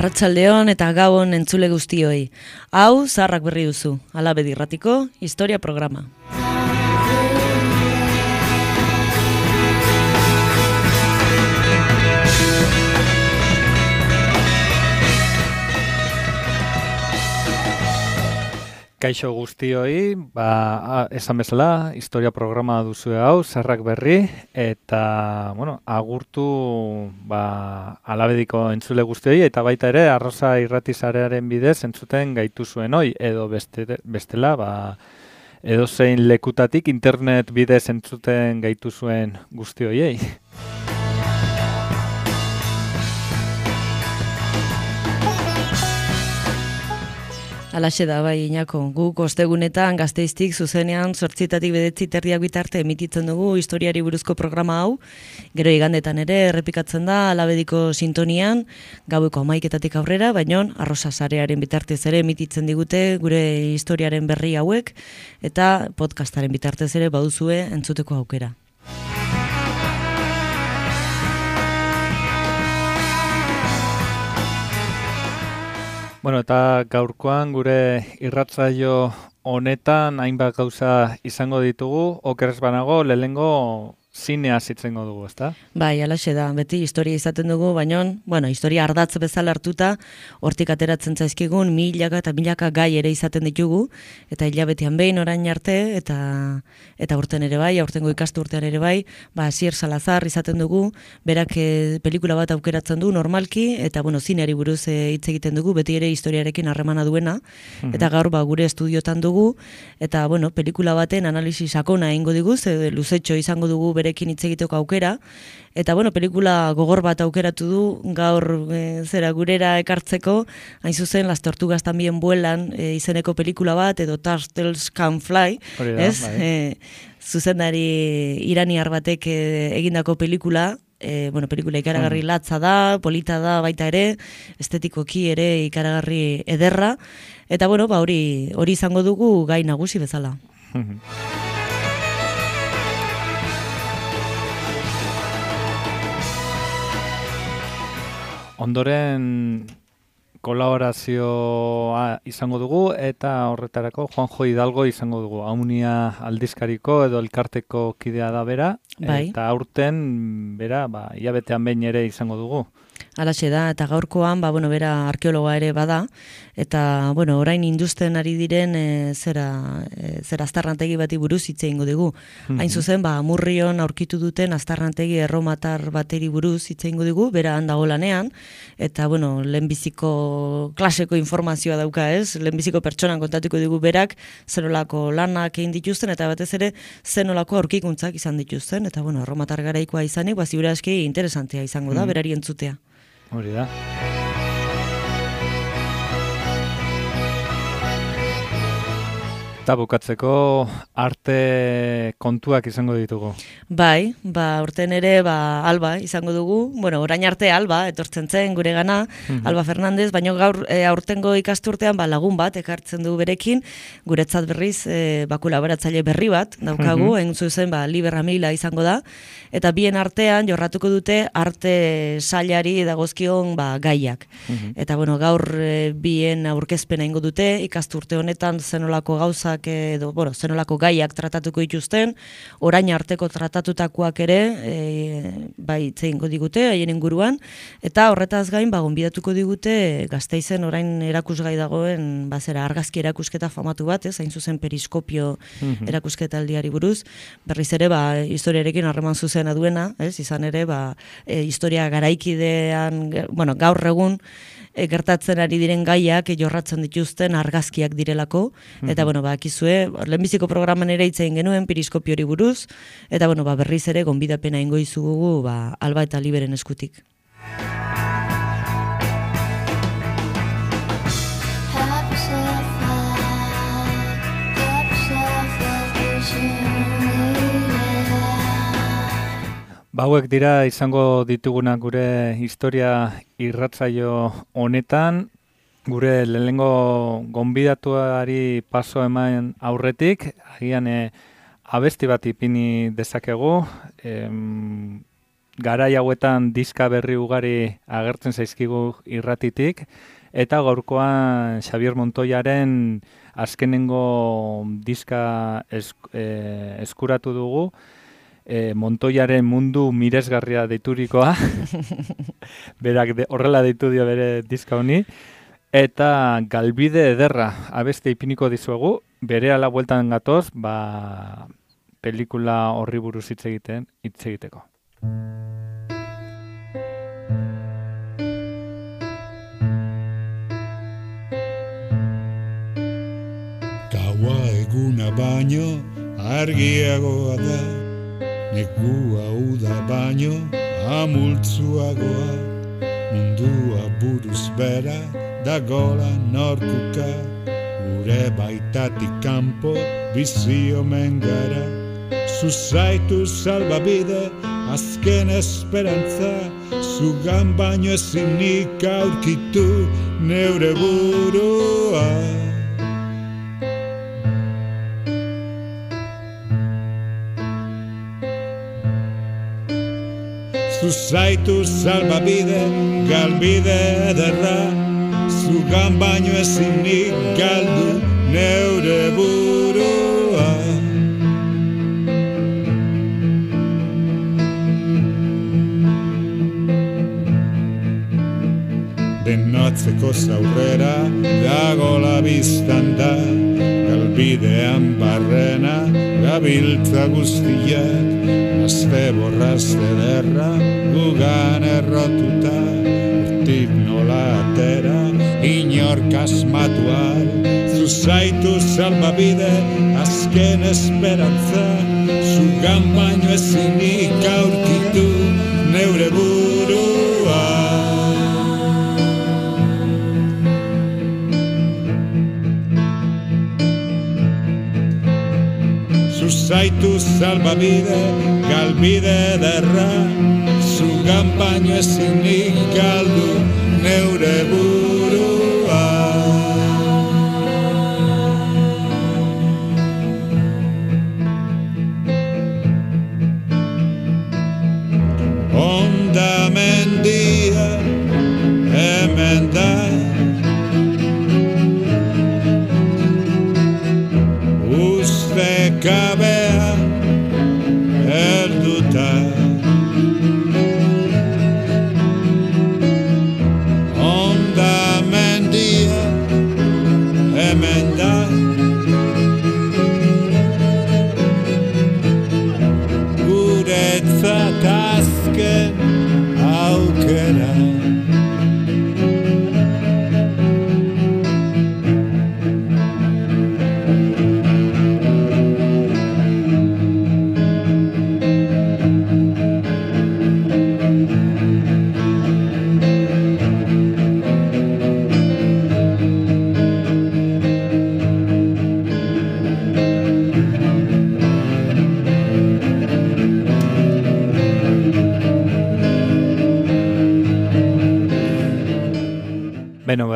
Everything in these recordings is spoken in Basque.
Arratsaldeon eta gabon entzule guztioi. Hau zaharrak berri duzu, Alabedi Irratiko historia programa. Kaixo guztioi, esan bezala, historia programa duzue hau, Zaharrak berri, eta, agurtu Alabediko entzule guztioi, eta baita ere, Arrosa Irratisarearen bidez entzuten gaitu zuen hoi, edo bestela, edozein lekutatik internet bidez entzuten gaitu zuen guztioiei. Alaxe da, bai, Iñako, guk ostegunetan Gasteiztik zuzenean 8:00 bitarte emititzen dugu historiari buruzko programa hau, gero igandetan ere errepikatzen da Alabediko sintonian, gaueko 11:00 aurrera, baina Arrosa sarearen bitartez ere emititzen digute gure historiaren berri hauek, eta podcastaren bitartez ere baduzue entzuteko aukera. Eta gaurkoan gure irratsaio honetan hainbat gauza izango ditugu, okerrez banago, lehenengo zinea zitzengo dugu, ezta? Bai, alaxe da, beti historia izaten dugu, baina, historia ardatz bezala hartuta, hortik ateratzen zaizkigun milaka eta milaka gai ere izaten ditugu, eta hilabetean behin orain arte, eta urten ere bai, aurtengo ikastu urtean ere bai, Asier Salazar izaten dugu, berak pelikula bat aukeratzen du normalki, eta zineari buruz hitz egiten dugu, beti ere historiarekin harremana duena, eta gaur gure estudiotan dugu, eta pelikula baten analisi sakona egingo diguz, luzetxo izango dugu berekin hitz egiteko aukera, eta pelikula gogor bat aukeratu du gaur gurera ekartzeko, hain zuzen Las tortugas también vuelan izeneko pelikula bat, edo Turtles Can Fly, ez? Bai. Zuzendari iraniar batek egindako pelikula, pelikula ikaragarri latza da, polita da baita ere, estetikoki ere ikaragarri ederra, eta hori izango dugu gai nagusi bezala. Ondoren kolaborazioa izango dugu eta horretarako Juanjo Hidalgo izango dugu. Aunia aldizkariko edo elkarteko kidea da bera, bai. Eta aurten bera hilabetean behin ere izango dugu. Alaxe da, eta gaurkoan, bera arkeologa ere bada, eta, orain induzten ari diren zera aztarnategi bati buruz hitz egingo dugu. Hain zuzen, Murrion aurkitu duten aztarnategi erromatar bateri buruz hitz egingo dugu, bera handago lanean, eta, lehenbiziko klaseko informazioa dauka ez, lehenbiziko pertsonan kontatuko dugu berak, zenolako lanak egin dituzten, eta batez ere, zenolako aurkikuntzak izan dituzten, eta, erromatar garaikoa izanik, ziur aski interesantea izango da, berari entzutea. Hori da. Eta bukatzeko arte kontuak izango ditugu. Bai, urten ere Alba izango dugu. Orain arte Alba etortzen zen gure gana, Alba Fernandez, baina gaur aurtengo ikasturtean lagun bat ekartzen du berekin, guretzat berriz kolaboratzaile berri bat daukagu, egin zuzen Liber Amila izango da, eta bien artean jorratuko dute arte sailari dagozkion gaiak. Eta gaur bien aurkezpena egingo dute, ikasturte honetan zenolako gauza edo, zenolako gaiak tratatuko dituzten, orain arteko tratatutakoak ere zeingo digute, haien inguruan, eta horretaz gain, gonbidatuko digute Gasteizen orain erakusgai dagoen, argazki erakusketa famatu bat, hain zuzen periskopio erakusketa aldiari buruz, berriz ere, historiarekin harreman zuzena duena, izan ere, historia garaikidean, gaur egun, gertatzen ari diren gaiak jorratzen dituzten argazkiak direlako, eta bakizue, lehenbiziko programan ere hitz egin genuen periskopiori buruz, eta berriz ere gonbidapena egingo dizugu Alba eta Liberen eskutik. Hauek dira izango ditugunak gure historia irratsaio honetan, gure lehenengo gonbidatuari paso eman aurretik, agian abesti bat ipini dezakegu, garai hauetan diska berri ugari agertzen zaizkigu irratitik, eta gaurkoan Xabier Montoyaren azkenengo diska eskuratu dugu, Montoyaren mundu miresgarria deiturikoa, berak horrela deitu dio bere diska honi, eta Galbide ederra abeste ipiniko dizuegu, bere ala bueltan gatoz, pelikula horri buruz hitz egiteko. Gaua eguna baino argiagoa da, negua uda baino amultzuagoa, mundua buruz bera dagola norkuka, gure baitatik kanpo bizi omen gara. Zuzaitu salbabide azken esperantza, zugan baino ezinik aurkitu neure burua. Zuzaitu salbabide, galbide ederra, zugan baino ezinik galdu neure burua. Denotzeko zaurrera dagola biztan da, galbidean barrena gabiltza guztiak, azte borrazte derra gugan errotuta, urtik nola atera inork asmatual. Zuzaitu salbabide azken esperantza, zugan baino ezinik aurkitu neure burua. Zuzaitu salbabide, galbide ederra, zugan baino ezinik galdu neure burua. Onda mendia hemen da, kabea helduta, onda mendia hemen da, guretzat azken aukera. Beno,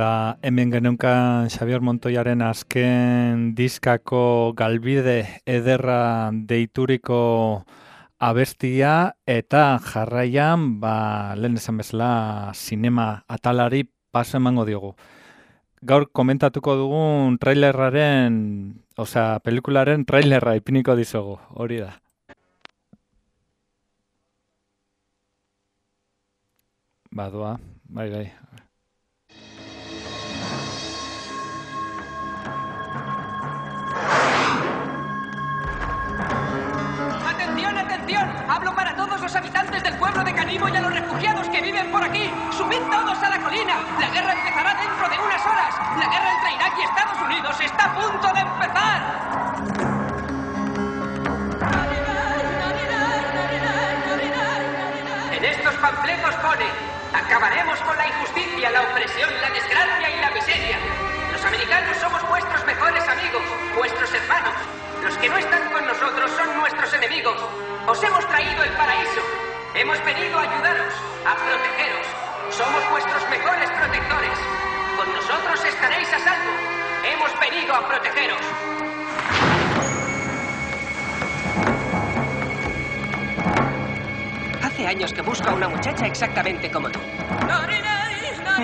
hemen genunkan Xabier Montoyaren azken diskako galbide ederra deituriko abestia, eta jarraian, lehen esan bezala, sinema atalari paso emango diogu. Gaur komentatuko dugun pelikularen trailerra ipiniko dizugu, hori da. Badoa, bai. ¡Atención! Hablo para todos los habitantes del pueblo de Canibo y a los refugiados que viven por aquí. ¡Subid todos a la colina! La guerra empezará dentro de unas horas. La guerra entre Irak y Estados Unidos está a punto de empezar. En estos panfletos pone: acabaremos con la injusticia, la opresión, la desgracia y la miseria. Los americanos somos vuestros mejores amigos, vuestros hermanos. Los que no están con nosotros son nuestros enemigos. Os hemos traído el paraíso. Hemos venido a ayudaros, a protegeros. Somos vuestros mejores protectores. Con nosotros estaréis a salvo. Hemos venido a protegeros. Hace hace años que busco a una muchacha exactamente como tú.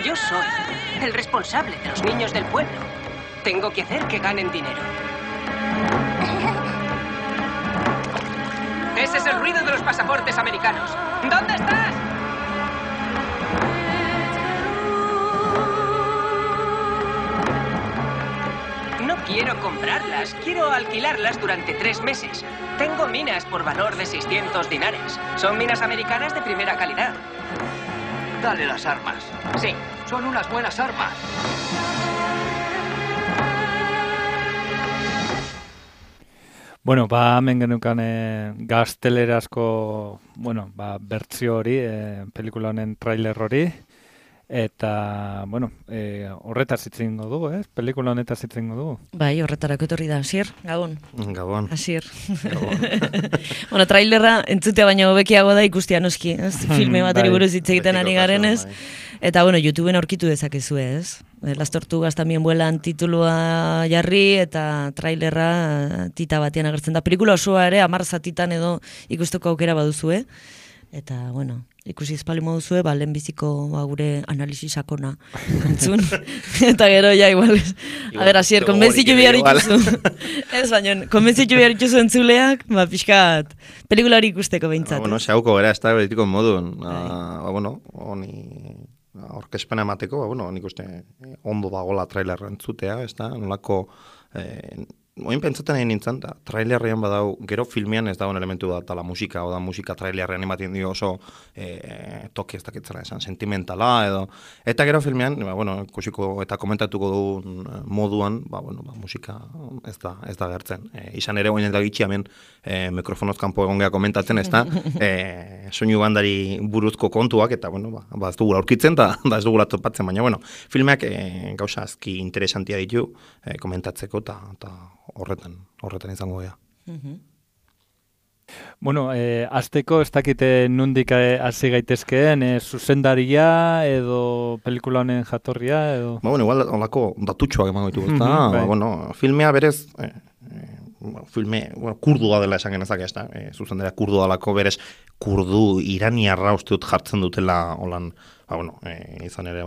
Yo soy el responsable de los niños del pueblo. Tengo que hacer que ganen dinero. Ese es el ruido de los pasaportes americanos. ¿Dónde estás? No quiero comprarlas, quiero alquilarlas durante 3 meses. Tengo minas por valor de 600 dinares. Son minas americanas de primera calidad. Dale las armas. Sí. Son unas buenas armas. Bueno, hemen genukan gaztelerazko, bertsio hori, pelikula honen trailer hori, eta, horretaz hitz egingo dugu, pelikula honetaz hitz egingo dugu. Bai, horretarako etorri da, Asier, Gabon. Gabon. Asier. Trailerra entzutea baino hobekiago da ikustea noski, ez? Filme bateri buruz hitz egiten ari garenez. Eta, YouTubeen aurkitu dezakezue, ez? Las Tortugas también vuelan titulua jarri eta trailerra tita batean agertzen da. Pelikula osoa ere 10 zatitan edo ikusteko aukera baduzue. Eta, ikusi espali moduzue, lehenbiziko gure analisi sakona entzun. Eta gero, igual. A ber, Asier, konbentzitu behar ituzu. Ez, baina, konbentzitu behar ituzu entzuleak, pixkat, pelikula hori ikusteko behintzat. Xauko gara, ez da beritiko modun. Honi aurkezpena emateko, nik uste ondo dagoela trailerra entzutea, ez da, nolako... Oin pentsatzen egin nintzen, da, trailerrean badau, gero filmean ez dagoen elementu da, eta la musika, musika trailerrean ematen dio oso toki ez dakitzela esan, sentimentala edo. Eta gero filmean, ikusiko eta komentatuko du moduan, musika ez da gertzen. Izan ere, oin eta gitxi hemen mikrofonoz kanpo egon geha komentatzen, ez da, soinu bandari buruzko kontuak, eta, ez dugula aurkitzen, eta ez dugula topatzen, baina, filmeak gauza azki interesantia ditu komentatzeko, eta horretan izango gea. Azteko ez dakite nundik hasi gaitezkeen, zuzendaria edo pelikula honen jatorria edo... Igual olako datutxoak emango ditugu, eta, filmea berez, filme, kurdua dela esan genezak ez da, zuzendaria kurdua dalako berez, kurdu iraniarra uste dut jartzen dutela holan, izan ere,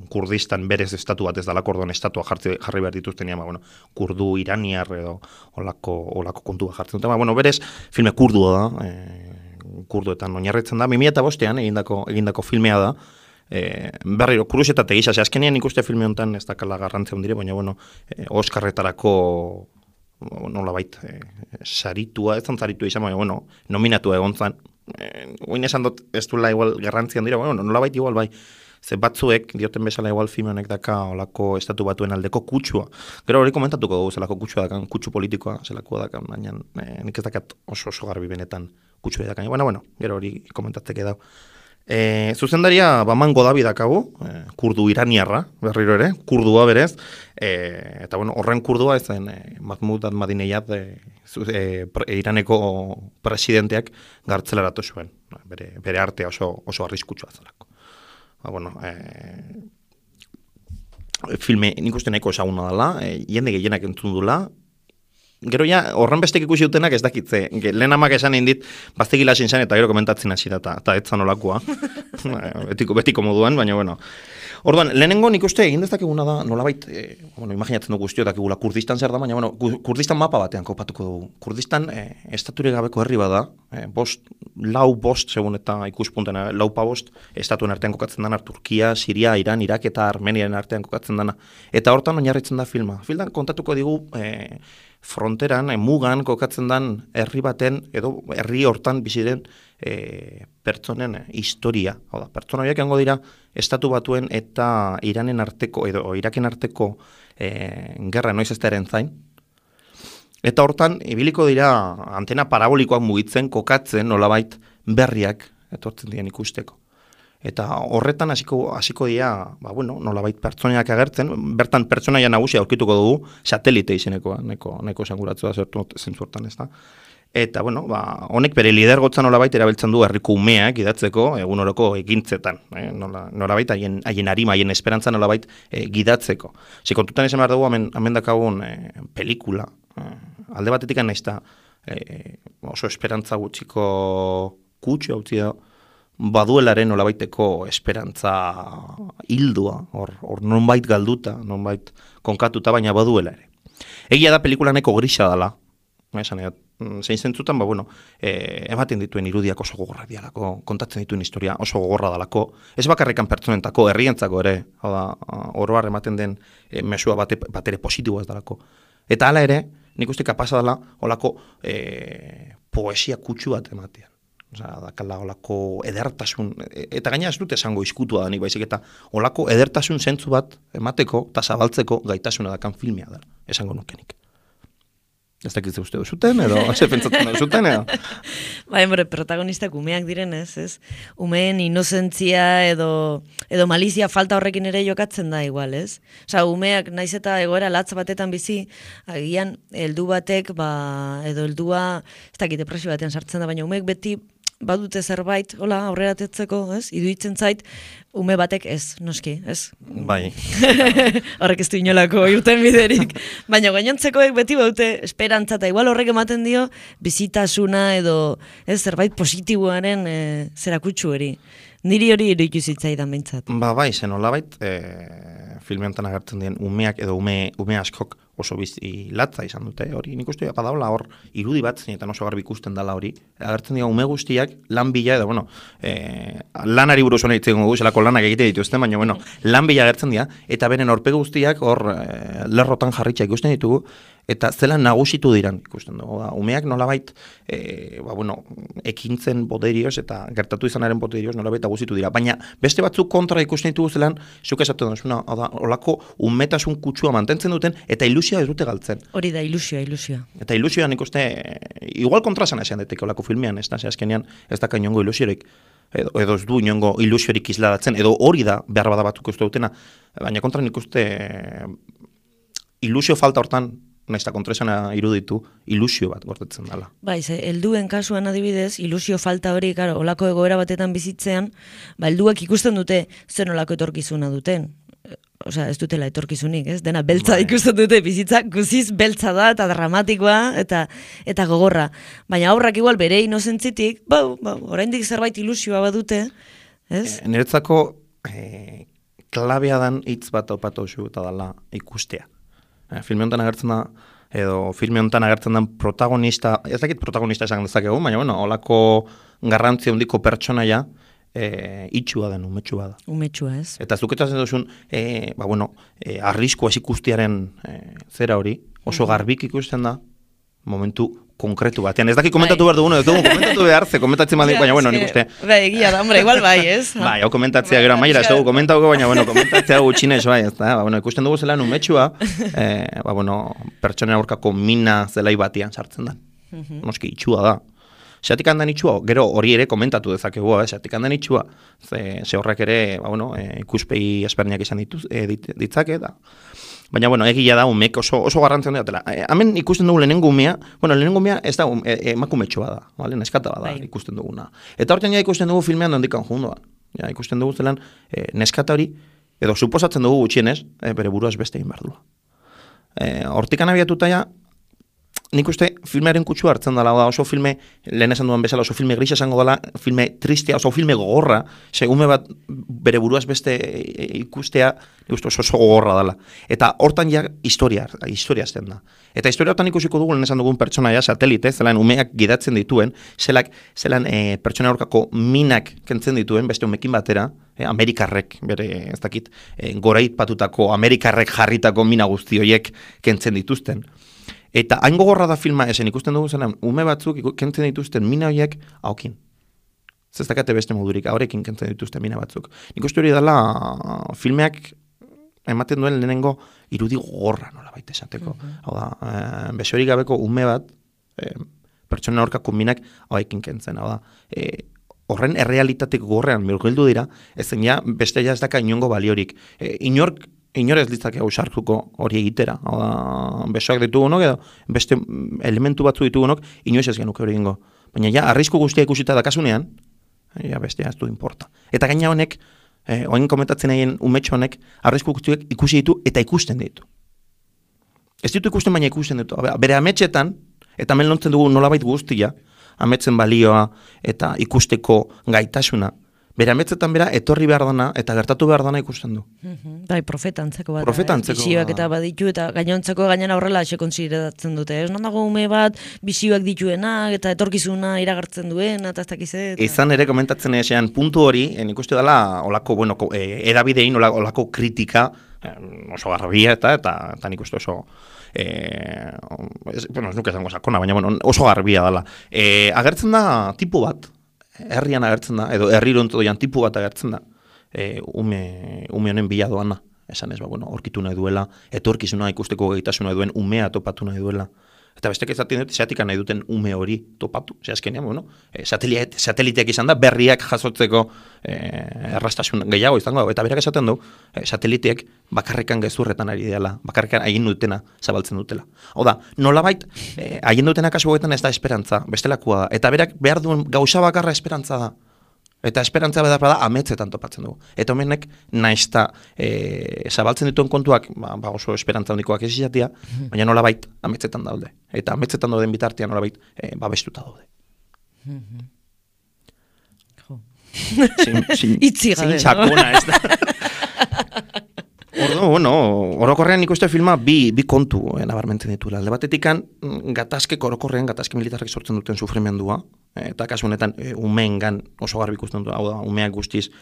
Kurdistan berez estatu bat ez dalako, orduan estatua jarri behar dituztenia, kurdu iraniar edo olako kontua jartzen dute. Berez, filme kurdua da, kurduetan oinarritzen da, 2005an egindako filmea da, berriro, kuriosetate gisa, azkenean ikuste filme honetan ez dakala garrantzia ondire, baina, Oscarretarako nolabait saritua, ez zan saritua izan, baina, nominatua egon zan, oin esan dut ez duela igual garrantzian dira, nolabait igual bai, ze batzuek, dioten bezala igual filme honek daka olako estatu batuen aldeko kutsua. Gero hori komentatuko dugu zelako kutsua dakan, kutsu politikoa zelako dakan, baina nik ez dakat oso garbi benetan kutsua dakan. Gero hori komentatzeke dau. Zuzendaria Baman Godabi dakagu, kurdu iraniarra, berriro ere, kurdua berez, eta horren kurdua ezen Mahmoud Ahmadinejad Iraneko presidenteak gartzelaratu zuen, bere artea oso arriskutsua zelako. Filme nik uste nahiko esaguna dela, jende gehienak entzun dula, gero ja, horren bestek ikusi dutenak ez dakitze. Lehen amak esan egin dit, baztegila zintzen eta gero komentatzen hasi da, eta ez zan olakoa. betiko moduan, baina, Orduan, lehenengo nik uste egin dezakeguna da, nolabait, imaginatzen dugu guztio dakigula Kurdistan zer da, baina, Kurdistan mapa batean kopatuko dugu. Kurdistan estature gabeko herri bada, lau bost, segun eta ikuspunten, laupa bost, estatuen artean kokatzen dana, Turkia, Siria, Iran, Irak eta Armeniaren artean kokatzen dana. Eta hortan oinarritzen da filma. Filman kontatuko digu, fronteran, mugan kokatzen dan herri baten, edo herri hortan biziren pertsonen historia. Oda, pertsona horiek hango dira estatu batuen eta Iranen arteko, edo Iraken arteko gerra noiz ez da eren zain. Eta hortan, ibiliko dira antena parabolikoak mugitzen, kokatzen, nolabait berriak etortzen diren ikusteko. Eta horretan hasiko dira, nolabait pertsoniak agertzen, bertan pertsonaia nagusia aurkituko dugu, satelite izenekoa, neko esanguratzua zentzu hortan ez da. Eta, honek bere lidergotzan nolabait erabiltzen du herriko umeak idatzeko egunoroko egintzetan. Nolabait, haien arima, haien esperantza nolabait gidatzeko. Kontutan esan behar dugu, hemen dakagun pelikula. Alde batetik nahiz da oso esperantza gutxiko kutsu hau da, baduelaren nolabaiteko esperantza hildua, hor nonbait galduta, nonbait konkatuta, baina baduela ere. Egia da pelikulaneko grisa dela, esan zein zentzutan, ematen dituen irudiak oso gogorrak dialako, kontatzen dituen historia oso gogorra dalako, ez bakarrikan pertsonentako, herrientzako ere, oroar ematen den mesua batere positiboa ez dalako. Eta hala ere, nik uste kapasa dela, olako poesia kutsu bat ematean. Dakala olako edertasun, eta gaina ez dut esango izkutua da nik baizik, eta olako edertasun zentzu bat emateko eta zabaltzeko gaitasuna dakan filmia da, esango nukenik. Ez dakitze uste duzuten, edo ze pentsatzen duzuten, edo? Protagonistak umeak direnez, ez? Umeen inozentzia edo malizia falta horrekin ere jokatzen da igual, ez? Umeak naiz eta egoera latz batetan bizi, agian heldu batek, edo heldua, ez dakit depresio batean sartzen da, baina umeek beti badute zerbait, aurrera tetzeko, ez? Iduitzen zait, ume batek ez, noski, ez? Bai. Horrek ez du inolako irten biderik. Baina gainontzekoek beti baute esperantza, eta igual horrek ematen dio bizitasuna edo zerbait positiboaren zerakutsu eri. Niri hori iruditu zitzaidan behintzat. Bai, zen olabait, filme honetan agertzen dien umeak edo ume askok oso bizi latza izan dute hori. Nik uste badaula hor irudi bat, zeinetan oso garbi ikusten dela hori. Agertzen dira ume guztiak lan bila edo, lanari buruz hona itzen dugu, zelako lanak egite dituzten, baina, lan bila agertzen dira, eta beren aurpegi guztiak hor lerrotan jarritxa ikusten ditugu, eta zelan nagusitu diran ikusten dugu. Umeak nolabait, ekintzen poderioz eta gertatu izanaren poderioz nolabait nagusitu dira. Baina beste batzuk kontra ikusten ditugu zelan, zuk esaten duzuna, olako umetasun kutsua mantentzen duten, eta ilusioa ez dute galtzen. Hori da, ilusioa. Eta ilusioa nik uste, igual kontrasan esan daiteke olako filmean, ez da, azkenean ez daka inongo ilusiorik, edo ez du inongo ilusiorik isladatzen, edo hori da behar bada batzuk uste dutena, baina kontra nik uste ilusio falta hortan, nahiz eta kontresana iruditu, ilusio bat gortetzen dela. Bai, helduen kasuan adibidez, ilusio falta hori, olako egoera batetan bizitzean, helduak ikusten dute zen olako etorkizuna duten. Ez dutela etorkizunik, ez? Dena beltza ikusten dute, bizitza guziz beltza da, eta dramatikoa, eta gogorra. Baina aurrak igual bere inozentzitik, oraindik zerbait ilusioa badute, ez? Niretzako klabea dan hitz bat opatu zu eta dela ikustea. Filme honetan agertzen da, edo filme honetan agertzen den protagonista, ez dakit protagonista esan dezakegu, baina olako garrantzi handiko pertsonaia, itxua den, umetsua da. Umetsua, ez? Eta zuketazen duzun, arrisko ez ikustiaren zera hori, oso garbik ikusten da, momentu konkretu batean. Ez daki komentatu behar dugun, ez dugu komentatu behar, ze komentatzen badin, baina, nik uste. Egia da, igual bai, ez? Hau komentatzea gero, maila, ez dugu komentatuko, baina, komentatzea gutxinez, bai, ez da, ikusten dugu zelan umetsua, pertsonen aurkako mina zelai batian sartzen da. Noski, itxua da. Zeatik handan itxua, gero hori ere komentatu dezakegu, zeatik handan itxua, ze horrek ere, ikuspegi ezberdinak izan ditzake, da. Baina, egia da, umek oso garrantzen dira. Hemen ikusten dugu lehenengo umea, lehenengo umea ez da emakumetsua da, neskata da ikusten duguna. Eta horretan ikusten dugu filmean dondikan jundoa. Ikusten dugu zelan neskata hori, edo suposatzen dugu gutxienez, bere buruaz beste egin behar du. Hortikan abiatuta ja, nik uste filmearen kutsua hartzen dela, oso filme, lehen esan duan bezala, oso filme grisa esango dela, filme tristea, oso filme gogorra, ume bat bere buruaz beste ikustea, nik uste oso gogorra dela. Eta hortan ja historia azten da. Eta historia hortan ikusiko dugu, lehen esan dugun pertsonaia, satelite, zelan umeak gidatzen dituen, zelan pertsona aurkako minak kentzen dituen, beste umekin batera, Amerikarrek, bere ez dakit, goraipatutako Amerikarrek jarritako mina guzti horiek kentzen dituzten. Eta hain gogorra da filma esen ikusten dugu zelan, ume batzuk kentzen dituzten mina horiek haukin. Zestakate beste modurik, haurekin kentzen dituzten mina batzuk. Nik uste hori dela filmeak ematen duen lehenengo irudi gogorra nola baita esateko. Hau da, besorik gabeko ume bat, pertsona aurkako minak hauekin kentzen. Hau da, horren errealitatek gogorrean mirgildu dira, ezen ja, beste ja ez daka inongo baliorik. Inor ez litzake hau sartuko hori egitera. Besoak ditugunok edo beste elementu batzu ditugunok, inoiz ez genuke hori egingo. Baina ja, arrisku guztia ikusita dakasunean, ja, bestea ez du importa. Eta gaina honek, oin komentatzen egin umetxo honek, arrisku guztiak ikusi ditu eta ikusten ditu. Ez ditu ikusten, baina ikusten ditu. Bere ametxetan, eta hemen lontzen dugu nolabait guztia, ametzen balioa eta ikusteko gaitasuna, Bere ametzetan bera etorri behar dana eta gertatu behar dana ikusten du. Bai, profeta antzeko bat. Profeta antzeko, Bisioak eta baditu eta gainontzeko gainera horrela ase konsideratzen dute. Ez non dago ume bat bisioak dituenak eta etorkizuna iragartzen duena eta ez dakiz eta... Izan ere komentatzen ezean puntu hori, nik uste dela olako, bueno, edabidein olako kritika oso garbia eta nik uste oso... bueno, ez nuke zango sakona, baina bueno, oso garbia dela. Agertzen da tipu bat, herrian agertzen da, edo herrirontodoian tipu bat agertzen da, ume honen bila doana, esan ez, bueno, orkitu nahi duela, etorkizuna ikusteko gaitasuna duen umea topatu nahi duela. Eta bestek ezaten dut, zeatika nahi duten ume hori topatu. Ze azkenean, bueno, sateliteak izan da, berriak jasotzeko errastasun gehiago izango. Eta berak esaten du, sateliteak bakarrikan gezurretan ari dela, bakarrikan haien dutena zabaltzen dutela. Hau da, nolabait, haien dutena kasu goetan ez da esperantza, bestelakoa da. Eta berak behar duen gauza bakarra esperantza da. Eta esperantza da ametzetan topatzen dugu. Eta homenek naizta zabaltzen dituen kontuak, oso esperantza handikoak ez izatea, baina nolabait ametzetan daude. Eta ametzetan dauden bitartean nolabait babestuta daude. Itzi gabe. Zin txakona ez da. Ordo, bueno, orokorrean nik uste filma bi kontu nabarmentzen dituela. Alde batetikan, gatazke militarrak sortzen duten sufrimendua, eta kasu honetan umeengan oso garbi ikusten dut, hau da, umeak guztiz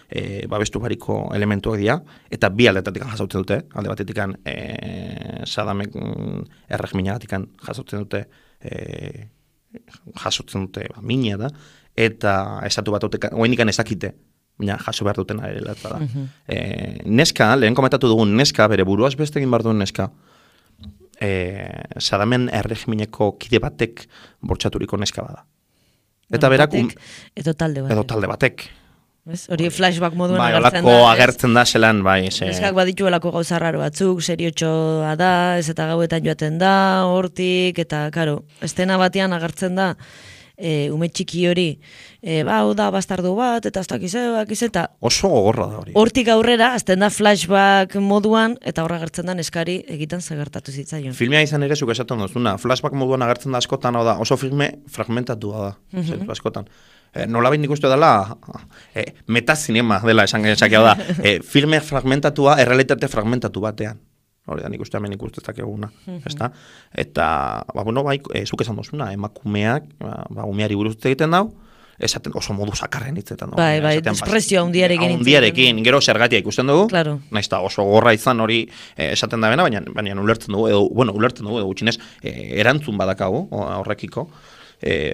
babestu bariko elementuak dira, eta bi aldetatikan jasautzen dute, alde batetikan Sadamek erregiminagatikan jasautzen dute mina da, eta estatu bat oainikan ezakite, baina jaso behar dutena ere latza da. Neska, lehen komentatu dugun neska, bere buruaz beste egin behar duen neska, Sadamen erregimineko kide batek bortxaturiko neska bada. Eta berak... Edo talde batek. Hori flashback moduan bai, agertzen da. Agertzen da zelan, bai. Neskak badituelako gauza raro batzuk, seriotxoa da, ez eta gauetan joaten da, hortik, eta, karo, estena batean agertzen da, ume txiki hori, hau da bastardu bat, eta ez dakiz eta... Oso gogorra da hori. Hortik aurrera, azten da flashback moduan, eta horra agertzen da neskari egiten zagertatu zitzaion. Filmea izan ere, zuk esaten duzuna, flashback moduan agertzen da askotan, hau da, oso filme fragmentatua da, zentu askotan. Nolabait nik uste dela, metazinema dela esan hau da, filme fragmentatua, errealitate fragmentatu batean. Hori da, nik uste hemen ikustezak eguna. Eta, bueno, bai, zuk esan duzuna, emakumeak, umeari buruz egiten dau, esaten oso modu sakarren hitzetan. Bai, despresio handiarekin. Handiarekin, gero zergatia ikusten dugu, claro. Naizta oso gorra izan hori esaten da bena, baina ulertzen dugu, edo gutxinez, erantzun badakagu horrekiko.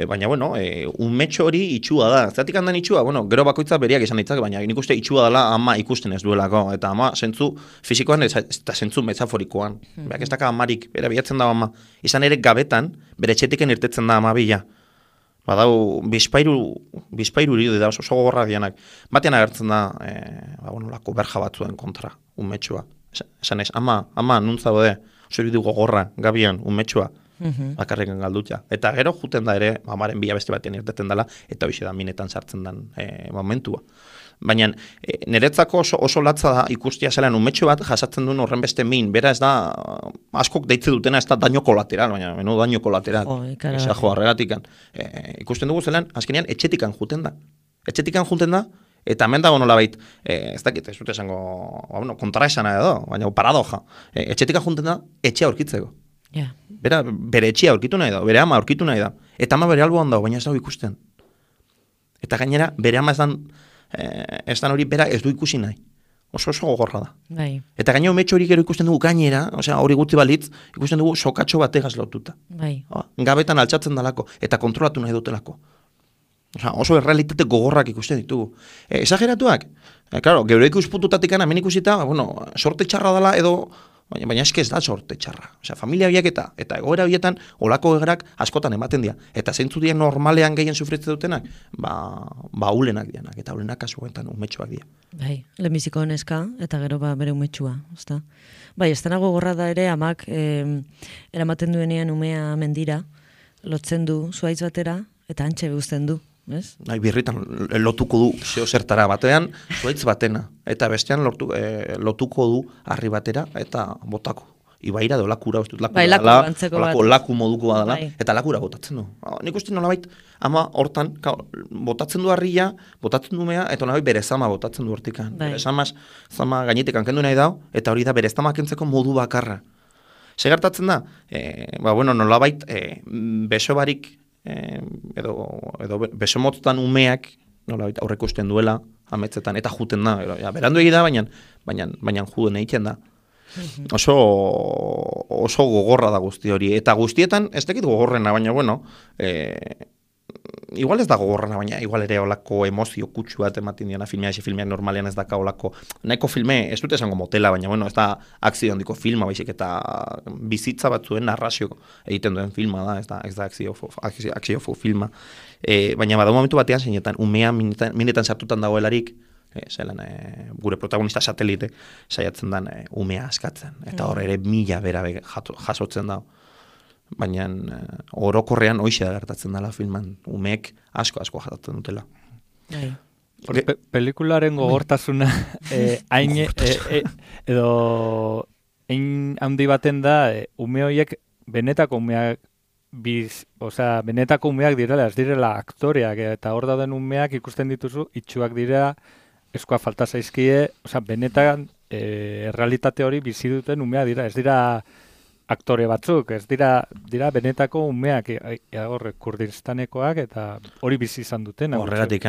Baina, bueno, unmetxo hori itxua da. Zeratik handan itxua, bueno, gero bakoitza beriak izan ditzak, baina nik uste itxua dela ama ikusten ez duelako. Eta ama, zentzu fizikoan eta zentzu metaforikoan. Berak ez daka amarik, bera bilatzen da ama. Izan ere gabetan, bere etxetiken irtetzen da ama bila. Badau, bizpairu irudi da, oso gogorra dianak. Batean agertzen da, lako berja batzuen kontra, unmetxua. Esan ez, ama, nuntza bode, oso irudi gogorra, gabian, unmetxua. Bakarrekan galdutia. Eta gero juten da ere, amaren bila beste batean irteten dela, eta hoxe da minetan sartzen den momentua. Baina niretzako oso latza da ikustia zelan umetxo bat jasatzen duen horren beste min. Bera ez da, askok deitze dutena ez da daño kolateral, baina menu daño kolateral. Esajo arregatikan. Ikusten dugu zelan, azkenean etxetikan juten da. Eta hemen dago nolabait, ez dakit, ez dut esango, kontra esana edo, baina paradoja. Etxetikan juten da, etxea aurkitzeko. Yeah. Bere etxea aurkitu nahi da, bere ama aurkitu nahi da. Eta ama bere alboan dago, baina ez dago ikusten. Eta gainera, bere ama ez dan hori bera ez du ikusi nahi. Oso gogorra da. Bai. Eta gainera umetxo hori gero ikusten dugu gainera, hori gutxi balitz, ikusten dugu sokatxo bategaz lotuta. Bai. Gabetan altxatzen dalako, eta kontrolatu nahi dutelako. Oso errealitate gogorrak ikusten ditugu. Esageratuak? Claro, geure ikuspututatik hemen ikusita, sorte txarra dela edo... Baina eske ez da sorte txarra. Familia biak eta egoera bietan olako egerak askotan ematen dira. Eta zeintzu dira normalean gehien sufritze dutenak, ulenak dianak. Eta ulenak kasuetan umetxuak dira. Bai, lehenbiziko neska eta gero bere umetxua. Bai, ez denago gorra da ere amak eramaten duenean umea mendira, lotzen du zuaitz batera eta antxe beguzten du. Birritan lotuko du zertara batean, zuaitz batena, eta bestean lotuko du harri batera, eta botako. ibaira edo lakura, uste dut laku Bai, laku dela, antzeko olako bat. laku modukoa dela, Bai. eta lakura botatzen du. Nik uste nolabait, ama hortan, botatzen du harria, botatzen du mea, eta nolabait bere zama botatzen du hortikan. Bai. Bere zama gainetik kendu nahi dau, eta hori da bere zama kentzeko modu bakarra. Segertatzen da, nolabait, beso barik, edo beso motztan umeak, nolabait aurreko usten duela, ametzetan, eta juten da, berandu egi da, baina juden egiten da. Oso gogorra da guzti hori, eta guztietan, ez dakit gogorrena, baina, igual ez da gogorrena, baina igual ere olako emozio kutsu bat ematen diana filmeak normalean ez daka olako, nahiko filme, ez dut esango motela, baina, ez da akzio handiko filma, baizik, eta bizitza batzuen narrazio egiten duen filma da, ez da akzio filma. Baina bada momentu batean, zeinetan, umea minetan sartutan dagoelarik, gure protagonista satelite saiatzen den umea askatzen. Eta hor ere mila bera jasotzen da. Baina orokorrean hoxe da gertatzen dela filman. Umeek asko jasotzen dutela. Pelikularen gogortasuna edo handi baten da ume horiek benetako umeak benetako umeak direla, ez direla aktoreak, eta hor dauden umeak ikusten dituzu, itxuak dira, eskoa falta zaizkie, benetan errealitate hori bizi duten umeak dira, ez dira aktore batzuk, ez dira benetako umeak, Kurdistanekoak, eta hori bizi izan duten. Horregatik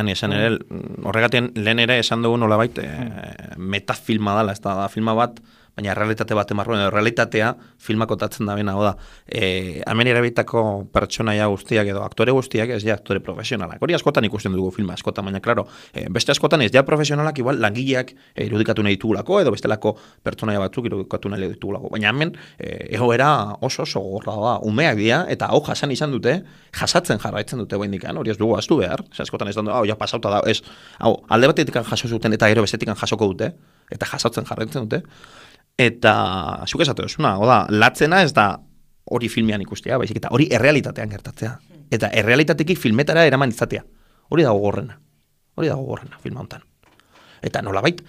lehen ere esan dugu nolabait metafilma dela, ez da filma bat, baina realitate bat emarroen, realitatea filmak otatzen da bena, da, hemen erabiltako pertsonaia guztiak edo aktore guztiak ez ja aktore profesionalak. Hori askotan ikusten dugu filma askotan, baina, klaro, beste askotan ez ja profesionalak igual langileak irudikatu nahi ditugulako, edo bestelako pertsonaia batzuk irudikatu nahi ditugulako. Baina hemen, egoera oso gogorra da, umeak dira, eta hau jasan izan dute, jasatzen jarraitzen dute behindikan, hori ez dugu aztu behar, askotan ez da, ja pasauta da, ez, alde batetik jaso zuten eta gero bestetik jasoko dute, eta jasatzen jarraitzen dute. Eta, zuk esatu duzuna, latzena ez da hori filmean ikustea, baizik, eta hori errealitatean gertatzea. Eta errealitatekik filmetara eraman izatea. Hori da gogorrena filma hontan. Eta nolabait,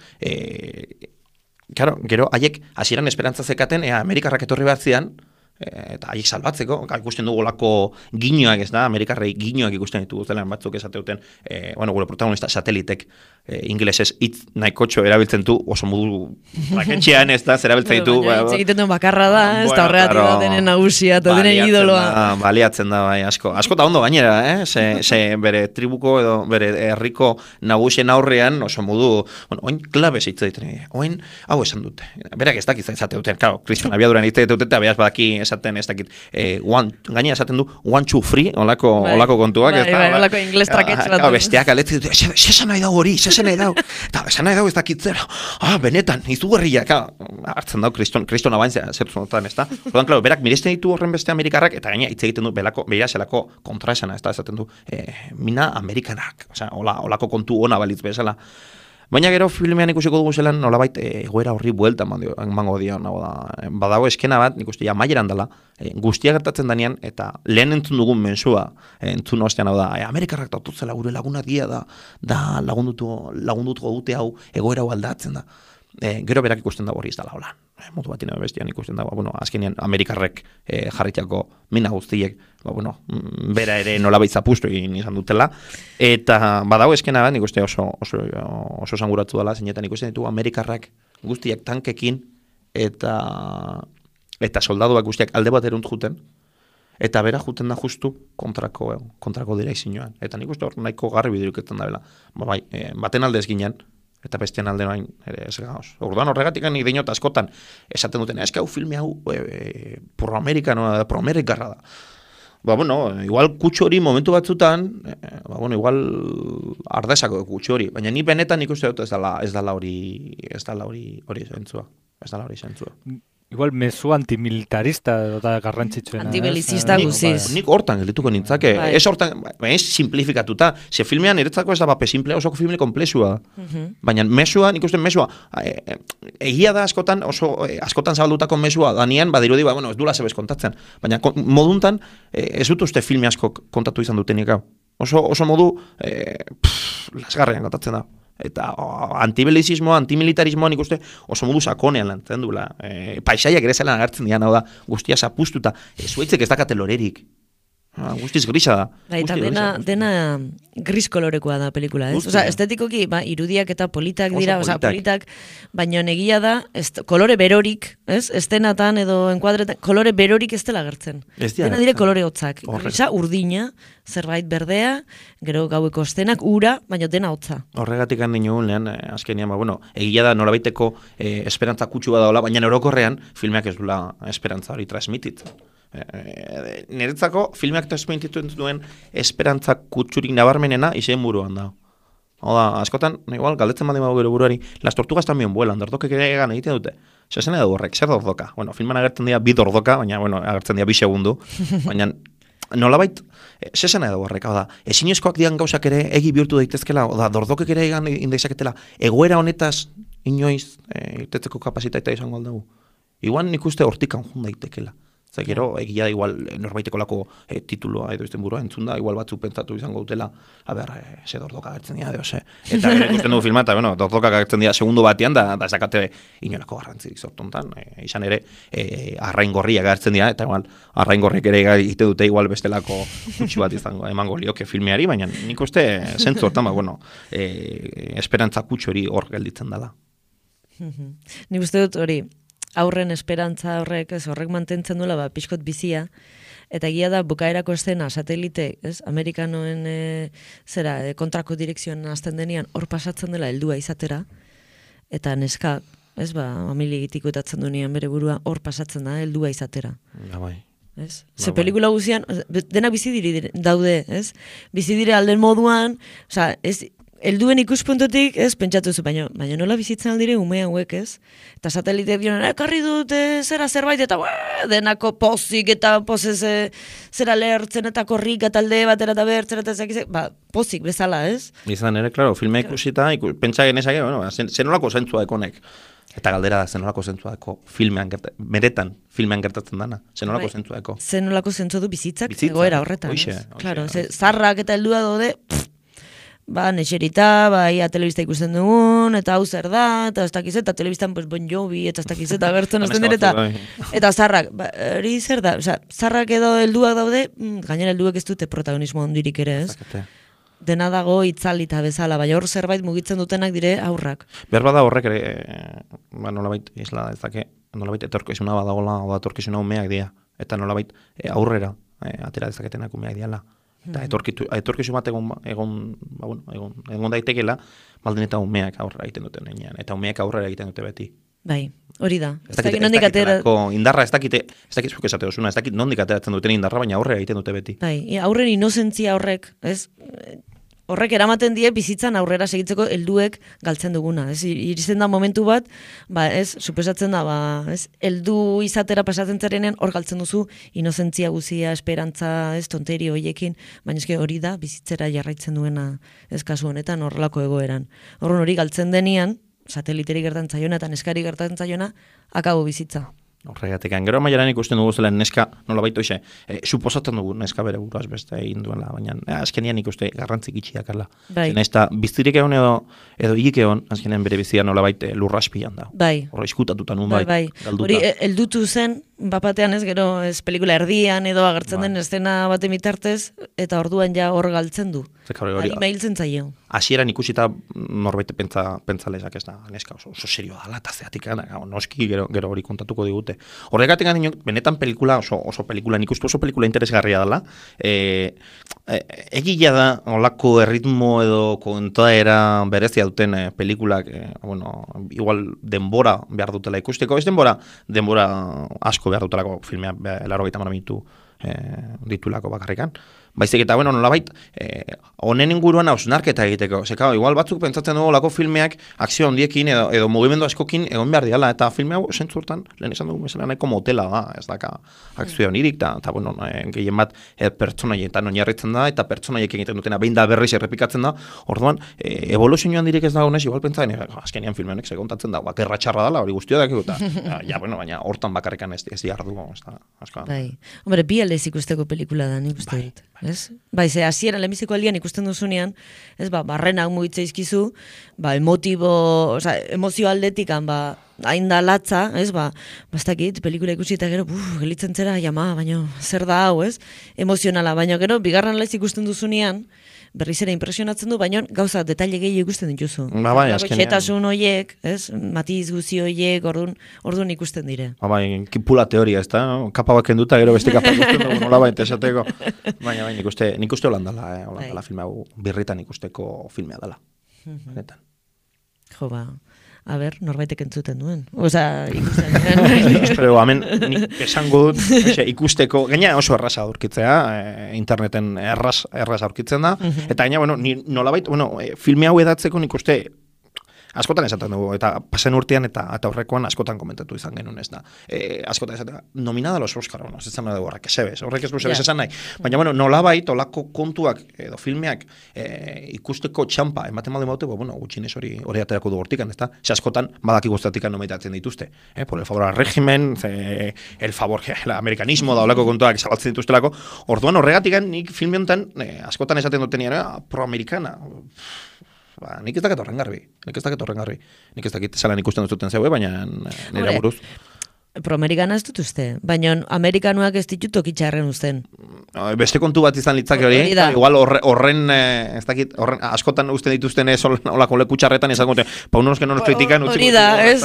gero, haiek hasieran esperantza zekaten, Amerikarrak etorri batzean, eta haiek salbatzeko, ikusten dugu olako ginoak, ez da, Amerikarrei ginoak ikusten ditugu zela, batzuk esateuten, gure protagonista satelitek ingelesez hitz nahikotxo erabiltzen du, oso modu raketxean, ez da, zerabiltzen ditu. Hitz egiten duen bakarra da, ez da horregatik da denen nagusia, eta denen idoloa. Baliatzen da, bai, asko da ondo gainera, ze bere tribuko edo bere herriko nagusien aurrean, oso modu, oin klabez hitz egiten, oin hau esan dute. Berak ez dakit zate duten, claro, Kriston abiaduran hitz egiten dute, eta beraz badaki esaten ez dakit, gainera esaten du, 1, 2, 3, olako kontuak, ez da. Bai, olako ingles traketx bat. Besteak aletzen dute, esan nahi dau hori, esan nahi dau, eta esan nahi dau ez dakitzera, benetan, izugarriak, hartzen dau Kriston abantzea, zertuzonotan, ez da. Ordan, klaro, berak miresten ditu horren beste Amerikarrak, eta gaina hitz egiten du, beira zelako kontraesana, ez da, esaten du, mina Amerikanak, olako kontu ona balitz bezala. Baina gero filmean ikusiko dugu zelan nolabait egoera horri buelta emango dio, badago eskena bat, nik uste ja maieran dela, guztia gertatzen danean, eta lehen entzun dugun mensua, entzun ostean hau da, Amerikarrak daututzela gure laguna dia da lagundutuko dute hau, egoera hau aldatzen da. Gero berak ikusten dago hori ez dela holan. Modu bat bestian ikusten dago, azkenean Amerikarrek jarritako mina guztiek, bera ere nolabait zapustu egin izan dutela, eta badago eskena bat, nik uste oso zanguratzu dela, zeinetan ikusten ditugu Amerikarrak guztiak tankekin, eta soldaduak guztiak alde bat erunt juten, eta bera juten da justu kontrako direkzioan. Eta nik uste hor nahiko garri bidiruketan da bela. Baten aldez ginen, eta bestean alde noain ere ez gauz. Orduan horregatik nik dinot askotan esaten duten, hau filme hau pro-amerikarra da. Igual kutsu hori momentu batzutan, igual ardezako kutsu hori, baina ni benetan ikuste dut ez dala hori zentzua. Igual mezu antimilitarista da garrantzitsuena. Antibelizista guziz. Nik hortan gelituko nintzake. Ez hortan, ez simplifikatuta. Ze filmean niretzako ez da bape simplea, osoko filme komplexua. Baina mesua, nik uste mesua, egia da askotan zabaldutako mesua, danean badirudi, ez dula zebez kontatzen. Baina moduntan, ez dut uste filme asko kontatu izan dutenik hau. Oso modu, lasgarrean kontatzen da. Eta antibelizismoa, antimilitarismoa nik uste oso modu sakonean lantzen duela. Paisaiak ere zelan agertzen dian, hau da, guztia zapustuta, zuaitzek ez dakate lorerik. Guztiz grisa da. Eta dena gris kolorekoa da pelikula, ez? Osa, estetikoki, irudiak eta politak dira, politak, baina negia da, kolore berorik, ez? Estenatan edo enkuadretan, kolore berorik ez dela gertzen. Dena dire kolore hotzak. Grisa, urdina, zerbait berdea, gero gaueko estenak, ura, baina dena hotza. Horregatik handi nioen, azkenian, egia da nolabaiteko esperantza kutsu badaola, baina orokorrean filmeak ez dula esperantza hori transmititzen. Niretzako filmeak transmititzen duen esperantza kutsurik nabarmenena izen buruan da. Hau da, askotan, igual, galdetzen baldin bago gero buruari, las tortugas también vuelan, dordokek ere egan egiten dute. Zesen edo horrek, zer dordoka? Filman agertzen dira bi dordoka, baina, agertzen dira bi segundu, baina nolabait, zesen edo horrek, hau da, ezinezkoak dian gauzak ere egi bihurtu daitezkela, hau da, dordokek ere egan indexaketela, egoera honetaz inoiz irtetzeko kapasitatea izango aldagu. Igual nik uste hortikan jun daitekela. Gero, egia da igual norbaiteko lako tituloa edo izten burua entzun da, igual batzuk pentsatu izango dutela, ze dordoka agertzen dira, Eta ikusten dugu filma, eta dordoka agertzen dira segundu batean, da esakate inolako garrantzirik sortontan. Izan ere, arrain gorriak agertzen dira, eta igual, arrain gorriak ere egite dute igual bestelako gutxi bat izango emango lioke filmeari, baina nik uste zentzu hortan, esperantza kutsu hori hor gelditzen dela. Nik uste dut hori, aurren esperantza horrek mantentzen duela pixkot bizia, eta egia da bukaerako estena satelite, Amerikanoen kontrako direkzioan azten denian hor pasatzen dela heldua izatera, eta neska, familia egitikoetatzen duenean bere burua hor pasatzen da heldua izatera. Ze pelikula guzian, denak bizi diri daude, bizi dire alden moduan, helduen ikuspuntutik, pentsatu zu, baina nola bizitzen aldire ume hauek, Eta satelite dionen, ekarri dute zerbait, eta denako pozik eta pozez zera lehertzen eta korrik eta alde batera eta bertzen eta zekize, pozik bezala, Izan ere, klaro, filme ikusita, pentsa genezake, zenolako zentzua ekonek. Eta galdera da, zenolako zentzua eko filmean meretan filmean gertatzen dana. Zenolako zentzua eko. Zenolako zentzua du bizitzak, egoera horretan. Claro, zarrak eta heldua daude, nexerita, ia telebista ikusten dugun, eta hau zer da, eta ez dakiz, eta telebistan Bon Jovi, eta ez dakiz, eta gertzen azten dira, eta zarrak, hori zer da, zarrak edo helduak daude, gainera helduek ez dute protagonismo ondirik ere, Dena dago itzalita bezala, baina hor zerbait mugitzen dutenak dire aurrak. Behar bada horrek ere, nolabait, isla ez dake, nolabait etorkizuna badagola, oda etorkizuna umeak dira, eta nolabait aurrera atera dezaketenak umeak diala. Eta etorkizu bat egon daitekela, baldin eta umeak aurrera egiten duten enean, eta umeak aurrera egiten dute beti. Bai, hori da. Ez dakit indarra, ez dakit zuk esate dozuna, ez dakit nondik ateratzen duten indarra, baina aurrera egiten dute beti. Bai, aurren inozentzia horrek, horrek eramaten die bizitzan aurrera segitzeko helduek galtzen duguna. Iritzen da momentu bat, suposatzen da, heldu izatera pasatzen zarenean hor galtzen duzu inozentzia guzia, esperantza, tonteri hoiekin, baina eske hori da bizitzera jarraitzen duena kasu honetan horrelako egoeran. Horren hori galtzen denian, sateliteri gertatzen zaiona eta neskari gertatzen zaiona, akabo bizitza. Horregatik, gero maiaran ikusten dugu zela neska, nola baito ize, suposatzen dugu neska bere buruaz beste egin duela, baina azkenean ikuste garrantzik itxiak ala. Zena ez da, biztirik egon edo hik egon, azkenean bere bizia nola baite lurraspian da. Bai. Horra iskutatuta nun bai, galduta. Hori, eldutu zen, bapatean gero pelikula erdian edo agertzen den estena baten bitartez, eta orduan ja hor galtzen du. Harima hiltzen zaio. Hasieran ikusita norbait pentzalezak ez da, neska oso serioa dala, eta zeatik, noski gero hori kontatuko digute. Horregatik benetan pelikula, oso pelikula, nik uste oso pelikula interesgarria dela. Egia da, olako erritmo edo kontaera berezia duten pelikulak, igual denbora behar dutela ikusteko, ez denbora asko behar dutelako filmea, 80 minutu ditulako bakarrikan. Baizik eta, nolabait, honen inguruan hausnarketa egiteko. Zeka, igual batzuk pentsatzen dugu lako filmeak akzio handiekin edo mugimendu askokin egon behar diala, eta filme hau sentzurtan, lehen esan dugu mesela nahiko motela da, ez daka akzio honirik, eta gehien bat pertsonaietan oinarritzen da, eta pertsonaiek egiten dutena behin da berriz errepikatzen da, orduan, evoluzioan direk ez da honez, igual pentsatzen, azkenian filme honek segontatzen da, gerra txarra dela, hori guztio dakigu, eta, baina hortan bakarrikan ez diardu, ez da, askoan. Bai, hombre, bi aldez ikusteko pelikula da, nik uste dut. ez? Bai, ze hasieran lehenbiziko aldian ikusten duzunean, ez, barrenak mugitza izkizu, emozio aldetikan, hain da latza, ez, bastakit, pelikula ikusi eta gero, gelitzen zera, baina zer da hau, ez? Emozionala, baina gero, bigarren laiz ikusten duzunean, berriz ere impresionatzen du, baina gauza detaile gehi ikusten dituzu. Bai, azkenean. Xetasun hoiek, ez? Matiz guzi hoiek, orduan ikusten dire. Bai, kipula teoria, ez da? No? Kapa baken duta, gero beste kapa ikusten dugu nola baita esateko. Baina, nik uste holandala filme hau birritan ikusteko filmea dela. Benetan. Jo, a ber, norbaitek entzuten duen. Osa, ikusten duen. Espero, hemen esango dut, ikusteko, gaina oso erraza aurkitzea, interneten erraz aurkitzen da, eta gaina, nolabait, filme hau edatzeko nik uste, askotan esaten dugu, eta pasen urtean eta horrekoan askotan komentatu izan genuen, ez da. Askotan esaten, nominada los Oscar, ez zan dugu horrek, horrek ez duzebez esan nahi. Baina, nolabait, olako kontuak edo filmeak ikusteko txampa, ematen malde baute, gutxinez hori aterako du hortikan, ez da. Ze askotan, badaki guztatikan nomitatzen dituzte. Por el favor al régimen, el favor, el amerikanismo da olako kontuak zabaltzen dituztelako. Orduan horregatikan, nik filme honetan, askotan esaten duten proamerikana. Nik ez dakit horren garbi. Nik ez dakit zelan ikusten duzuten zeue, baina nire buruz. Proamerikana ez dut uste, baina amerikanuak ez ditut tokitxarren uzten. Beste kontu bat izan litzake hori, igual horren, ez dakit, askotan usten dituzten olako leku txarretan, izan gote, unos que no nos critican, hori da, ez?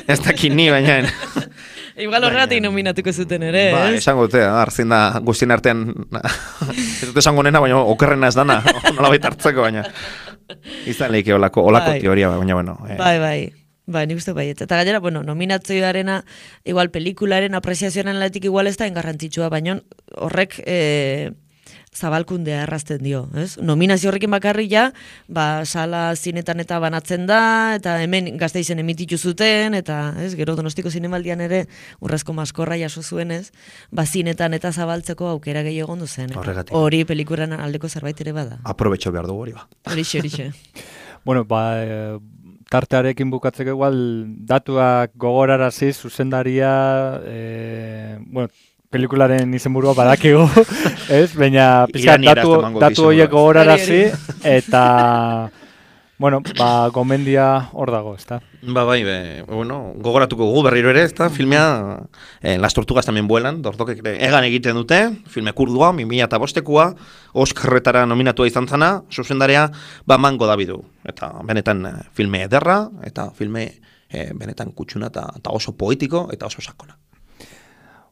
Ez dakit ni, baina... Igual horregatik nominatuko zuten ere, ez? Esango dute, arzien da guztien artean, ez dute esango nena, baina okerrena ez dana, nola baita hartzeko, baina izan lehike olako teoria, baina, Bai, nik uste baiet. Eta gainera, nominatzioarena, igual pelikularen apreziazioaren latik igual ez da engarrantzitsua, baina horrek zabalkundea errazten dio, ez? Nominazio horrekin bakarrik ja, sala zinetan eta banatzen da, eta hemen Gasteizen emititu zuten, eta, ez, gero Donostiko Zinemaldian ere urrezko maskorra jaso zuen, ez? Zinetan eta zabaltzeko aukera gehi egon duzen. Hori pelikuran aldeko zerbait ere bada. Aprobetxo behar dugu hori ba. Horixe. Tartearekin bukatzeko igual, datuak gogorarazi, zuzendaria, pelikularen izenburua badakigu, ez? Baina pizkat datu horiek gogorarazi eta gomendia hor dago, ezta? Gogoratuko gugu berriro ere, ezta? Filmea Las Tortugas también vuelan, dortokek egan egiten dute, filme kurdua, 2005koa, Oscarretara nominatua izan zana, zuzendarea Mango Davidu. Eta benetan filme ederra, eta filme benetan kutsuna eta oso poetiko eta oso sakona.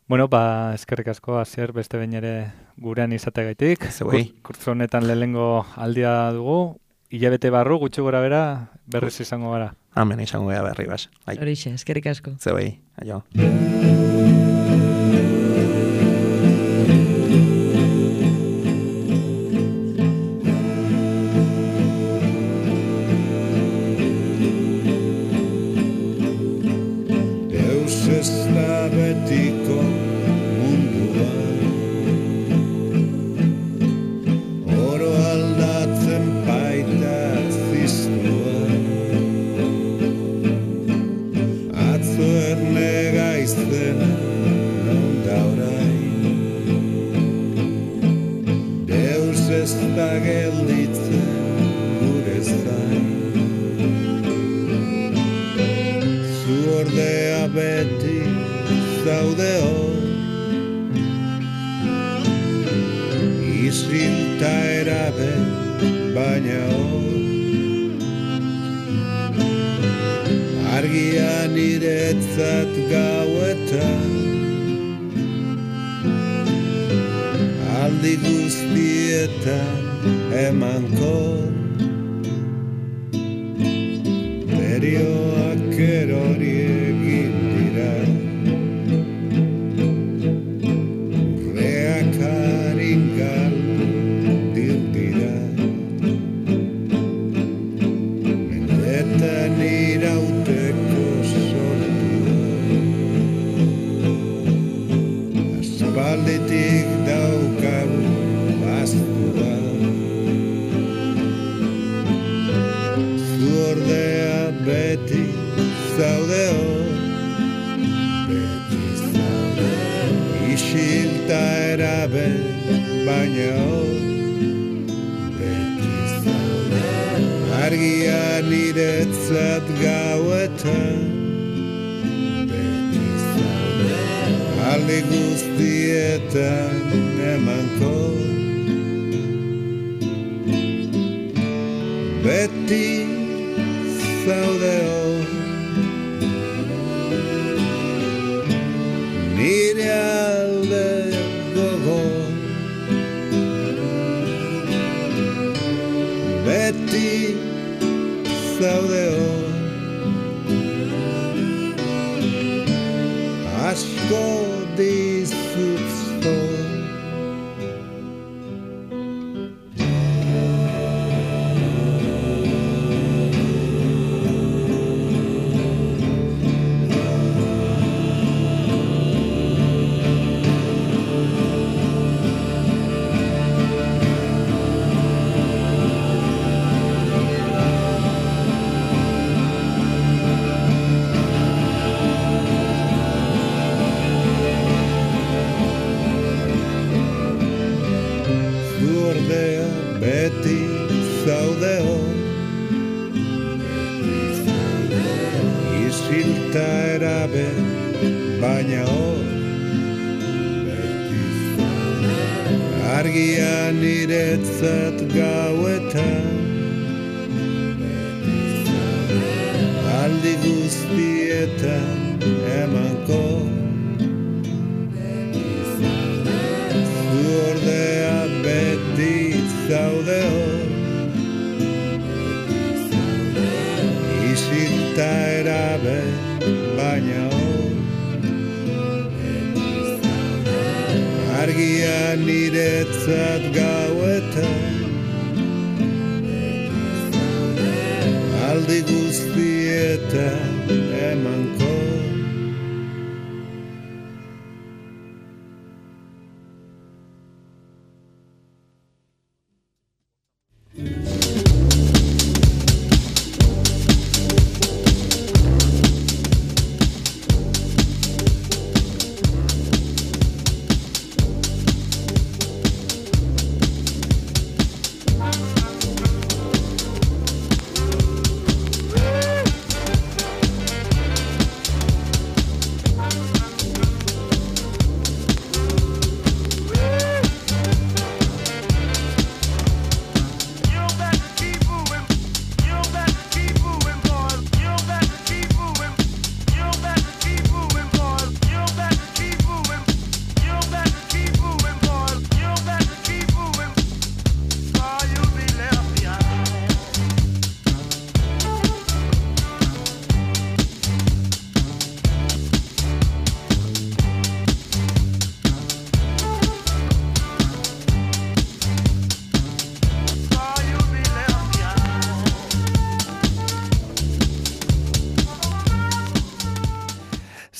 Eskerrik asko, Asier, beste behin ere gurean izateagaitik. Kurtzo honetan lehengo aldia dugu, hilabete barru, gutxi gora bera, berriz izango gara. Amen, izango gara berri, bas. Horixe, eskerrik asko. Zeuei, aio. Deus ez da betiko mundua, oro aldatzen baita ziztua, atzo erne gaizten non da orain, Deus ez da gelditzen gure zain, zu ordea beti zaude hor, isilta erabe baina hor, argia niretzat gauetan, aldi guztietan emankor, berioak erori egin dira, urreak haringal dira, mendetan irauteko sortua, aspalditik daukagu bastua, zu ordea beti baina hor beti zaude. Argia niretzat gauetan beti zaude. Alde guztietan emankor beti zaude hor. Nire alde gogor beti zaude hor. Asko dizut zor. Beti zaude hor, isilta erabe, baina hor, argia niretzat gauetan, aldi guztietan emankor, zu ordea beti zaude hor, isilta erabe, baina hor, argia niretzat gauetan, aldi guztietan emankor.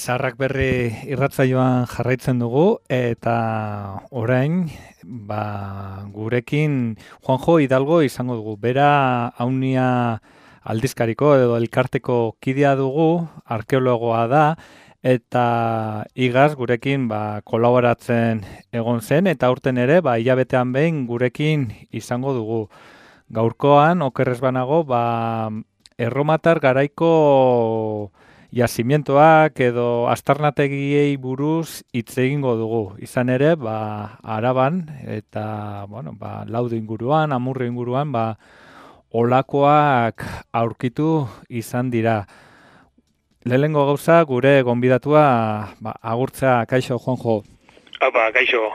Zaharrak berri irratsaioan jarraitzen dugu eta orain gurekin Juanjo Hidalgo izango dugu. Bera Aunia aldizkariko edo elkarteko kidea dugu, arkeologoa da eta igaz gurekin kolaboratzen egon zen eta aurten ere hilabetean behin gurekin izango dugu. Gaurkoan okerrez banago erromatar garaiko jazimientoak edo aztarnategiei buruz hitz egingo dugu. Izan ere, Araban eta Laudio inguruan, Amurrio inguruan, olakoak aurkitu izan dira. Lehenengo gauza gure gonbidatua agurtzea. Kaixo, Juanjo. Apa, kaixo.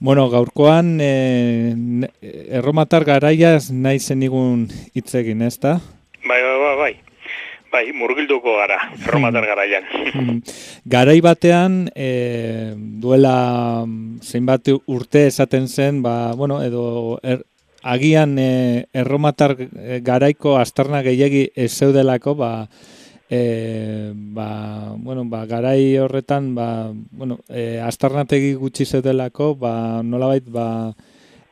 Bueno, gaurkoan erromatar garaiaz nahi zenigun hitz egin, ezta? Bai, murgilduko gara, erromatar garaian. Garai batean, duela zeinbat urte esaten zen, edo agian erromatar garaiko aztarna gehiegi ez zeudelako, garai horretan, aztarnategi gutxi zeudelako, nolabait,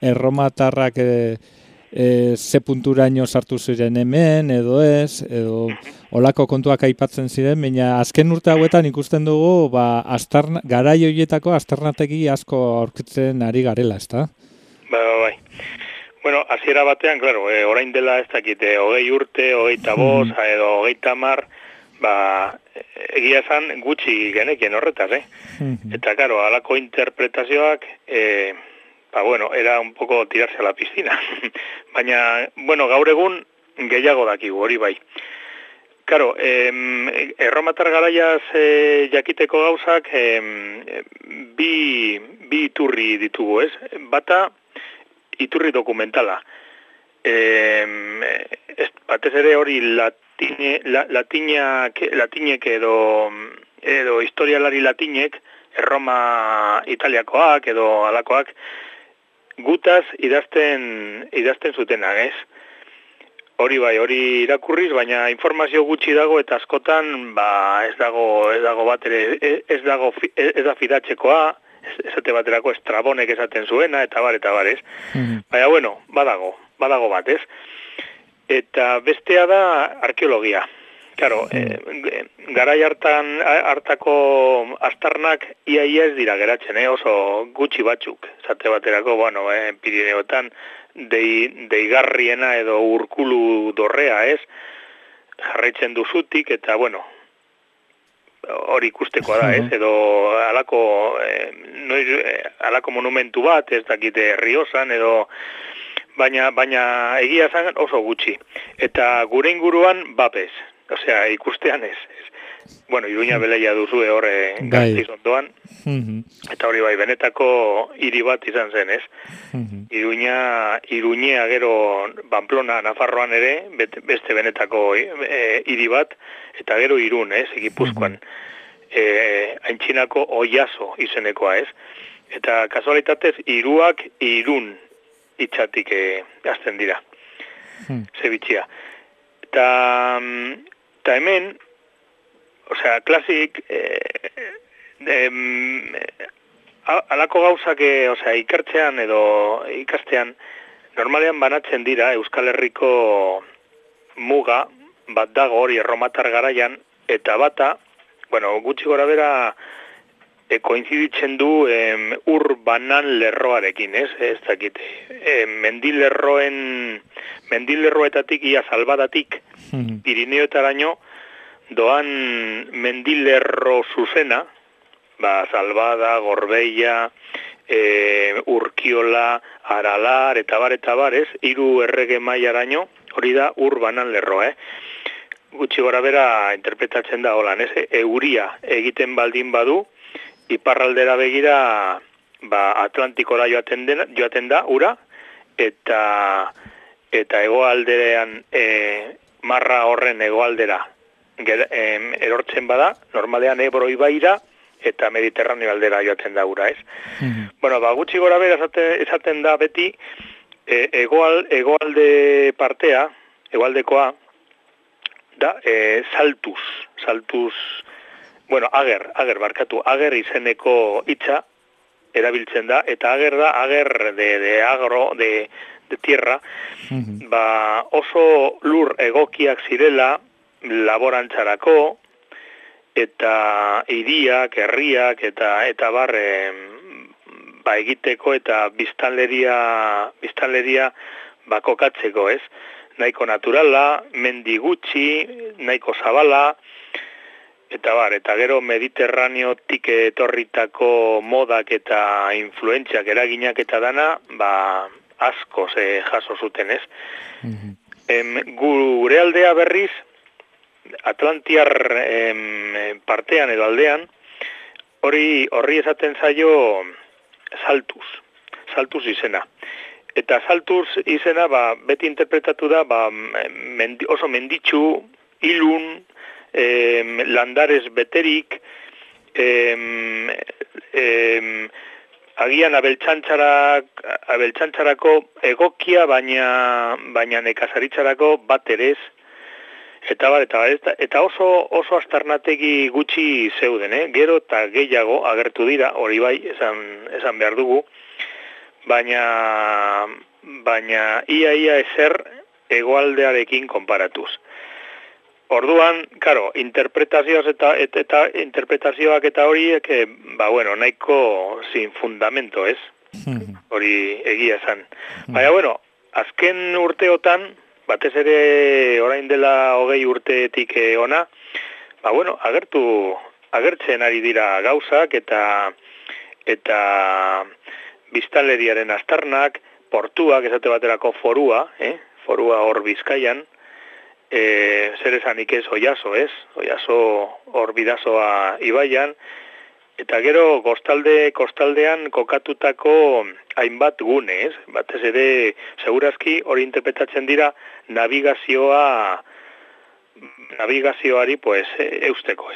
erromatarrak ze punturaino sartu ziren hemen, edo ez, edo olako kontuak aipatzen ziren, baina azken urte hauetan ikusten dugu garai horietako aztarnategi asko aurkitzen ari garela, ezta? Bai. Bueno, hasiera batean, claro, orain dela ez dakit, 20 urte, 25 edo 30, egia esan gutxi genekien horretaz, Eta, claro, halako interpretazioak, bueno, era un poco tirarse a la piscina. Baina, bueno, gaur egun gehiago dakigu, hori bai. Claro, erromatar garaiaz jakiteko gauzak bi iturri ditugu, ez? Bata, iturri dokumentala. Batez ere hori latinek edo historialari latinek, Erroma Italiakoak edo alakoak, gutaz idazten zutenak, ez? Hori bai, hori irakurriz, baina informazio gutxi dago eta askotan ez dago bat ere, ez da fidatzekoa, esate baterako Estrabonek esaten zuena, eta bar, ez? Baina, bueno, badago bat, ez? Eta bestea da arkeologia. Claro, garai hartako astarnak ia ez dira geratzen, oso gutxi batzuk. Esate baterako, bueno, Pirineotan deigarriena edo urkulu dorrea, ez? Jarraitzen duzutik, eta, bueno, hori ikustekoa da, ez? Edo alako monumentu bat, ez dakite Riosan, edo baina egia zan oso gutxi. Eta gure inguruan bapez. Osea, ikustean ez. Bueno, Iruña beleia duzu horre Gasteiz ondoan. Eta hori bai, benetako hiri bat izan zen, ez? Iruñea gero Pamplona, Nafarroan ere, beste benetako hiri bat, eta gero Irun, ez? Gipuzkoan. Aintzinako Oiaso izenekoa, ez? Eta kasualitatez, hiruak Irun hitzatik hasten dira. Zebitxia. Eta hemen, osea, klasik, alako gauzak, osea, ikertzean edo ikastean, normalean banatzen dira Euskal Herriko muga, bat dago hori erromatar garaian, eta bata, bueno, gutxi gora bera, koinziditzen du urbanan lerroarekin, ez? Ez dakit, mendilerroetatik, ia salbadatik, Pirineoetaraino, doan mendilerro zuzena, Salbada, Gorbeia, Urkiola, Aralar, eta bar, ez? 3 errege mailaraino, hori da urbanan lerroa, Gutxi gora bera interpretatzen da holan, ez? Euria egiten baldin badu, iparraldera begira Atlantikora joaten da, ura, eta hegoaldean marra horren hegoaldera erortzen bada, normalean Ebro ibaira eta Mediterraneo aldera joaten da ura, ez? Bueno, gutxi gora bera esaten da beti hegoalde partea, hegoaldekoa, da saltuz, bueno, ager izeneko hitza erabiltzen da, eta ager da, de agro, de tierra, oso lur egokiak zirela laborantzarako, eta hiriak, herriak, eta bar, egiteko, eta biztanleria kokatzeko, ez? Nahiko naturala, mendi gutxi, nahiko zabala, eta gero Mediterraneotik etorritako modak eta influentziak eraginak eta dana, asko jaso zuten, ez? Gure aldea berriz, Atlantiar partean edo aldean, horri esaten zaio saltuz izena. Eta saltuz izena, beti interpretatu da, oso menditsu, ilun, landarez beterik, agian abeltxantzarako egokia, baina nekazaritzarako bat erez, eta oso astarnategi gutxi zeuden, gero eta gehiago agertu dira, hori bai, esan behar dugu, baina ia ezer hegoaldearekin konparatuz. Orduan, karo, interpretazioak eta horiek, nahiko sin fundamento, ez? hori egia esan. Baina, bueno, azken urteotan, batez ere orain dela 20 urteetik ona, ba, bueno, agertzen ari dira gauzak eta biztanleriaren aztarnak, portuak, esate baterako forua hor Bizkaian, zer esanik ez Oiaso, Oiaso hor Bidasoa ibaian, eta gero kostaldean kokatutako hainbat gune, batez ere segurazki hori interpretatzen dira navigazioari pues eusteko,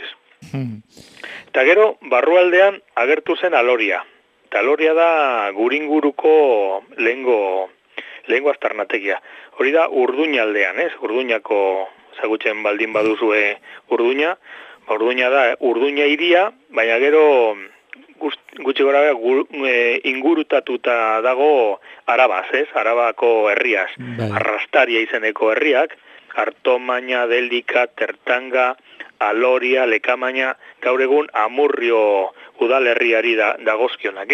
Eta gero barrualdean agertu zen Aloria. Eta Aloria da guringuruko lehengo aztarnategia. Hori da Urduña aldean, Urduñako ezagutzen baldin baduzue Urduña. Urduña da Urduña hiria, baina gero gutxi gora ingurutatuta dago Arabaz, Arabako herriaz. Arrastaria izeneko herriak, Artomaña, Delika, Tertanga, Aloria, Lekamaña, gaur egun Amurrio udalerriari dagozkionak,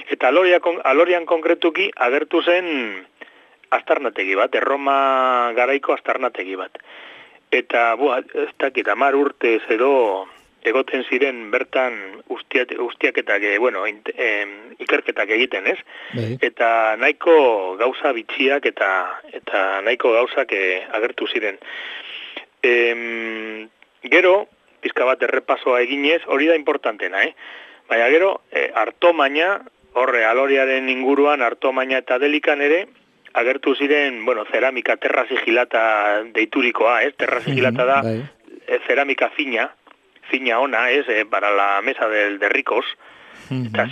Eta Alorian konkretuki agertu zen aztarnategi bat, Erroma garaiko aztarnategi bat. Eta, ez dakit, 10 urtez edo egoten ziren bertan ustiaketak, ikerketak egiten, Eta nahiko gauza bitxiak eta nahiko gauzak agertu ziren. Gero, pizka bat errepasoa eginez, hori da importantena, Baina gero, Artomaña, horre Aloriaren inguruan, Artomaña eta Delikan ere, agertu ziren, ceramika terra sigilata deiturikoa, terra sigilata da ceramika fina ona, para la mesa de ricos, eta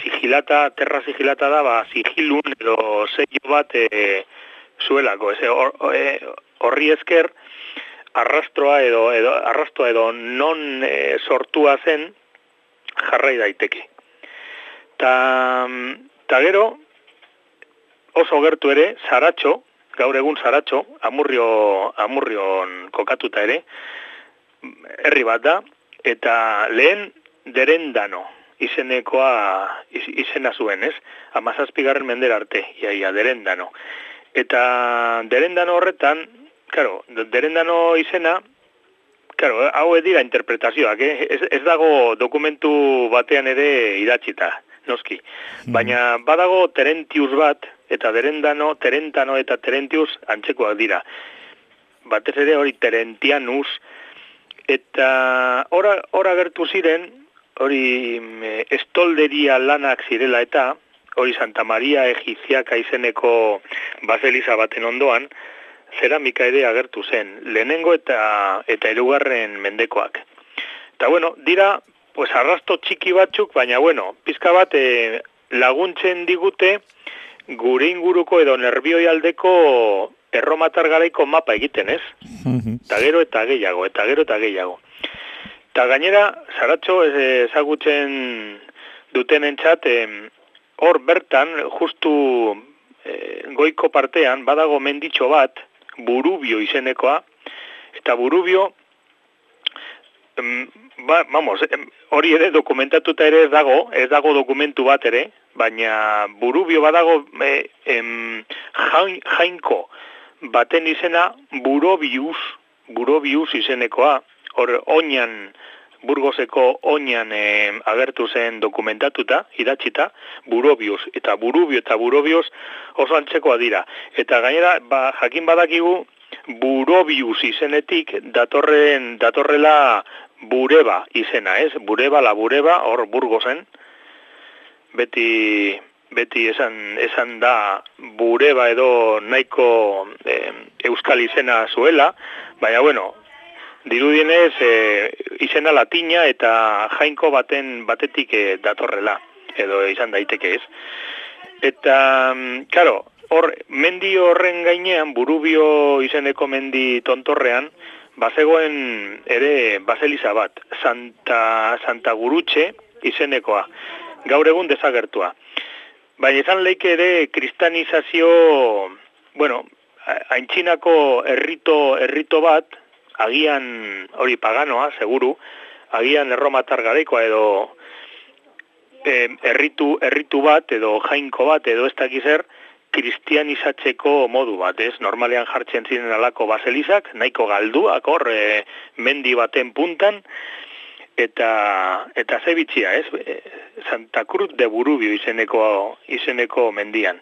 terra sigilata da, sigilun edo sello bat zuelako, horri esker, arrastoa edo non sortua zen jarrai daiteke. Ta gero, oso gertu ere, Saratxo, gaur egun Saratxo, Amurrion kokatuta ere, herri bat da, eta lehen Derendano izena zuen, 17. mendera arte, iaia, Derendano. Eta Derendano horretan, Derendano izena, hau dira interpretazioak, ez dago dokumentu batean ere idatzita, noski. Baina badago Terentius bat, eta Terentano eta Terentius antzekoak dira. Batez ere hori Terentianus, eta hor agertu ziren, hori estolderia lanak zirela eta, hori Santa Maria Egiziaka izeneko baseliza baten ondoan, zeramika ere agertu zen, lehenengo eta 2. mendekoak. Eta dira, arrasto txiki batzuk, baina pizka bat laguntzen digute gure inguruko edo nerbioi aldeko erromatar garaiko mapa egiten, Eta gero eta gehiago. Eta gainera, Saratxo ezagutzen dutenentzat, hor bertan, justu goiko partean, badago menditxo bat, Burubio izenekoa, eta Burubio, hori ere dokumentatuta ere ez dago dokumentu bat ere, baina Burubio badago jainko baten izena Burobius izenekoa, hor oinan, Burgoseko oinan agertu zen dokumentatuta, idatzita, Burobius, eta Burubio eta Burobius oso antzekoa dira. Eta gainera, jakin badakigu, Burobius izenetik datorrela Bureba izena, Bureba, la Bureba, hor Burgosen, beti esan da Bureba edo nahiko euskal izena zuela, baina dirudienez izena latina eta jainko batetik datorrela, edo izan daiteke Eta, mendi horren gainean, Burubio izeneko mendi tontorrean, bazegoen ere baseliza bat, Santa Gurutxe izenekoa, gaur egun desagertua. Baina izan leike ere kristanizazio, aintzinako errito bat, agian hori paganoa, seguru, agian erromatar garaikoa erritu bat edo jainko bat edo ez dakiz zer kristianizatzeko modu bat, ez? Normalean jartzen ziren alako baselizak, nahiko galduak hor, mendi baten puntan, eta ze bitxia, ez? Santa Cruz de Burubio izeneko mendian.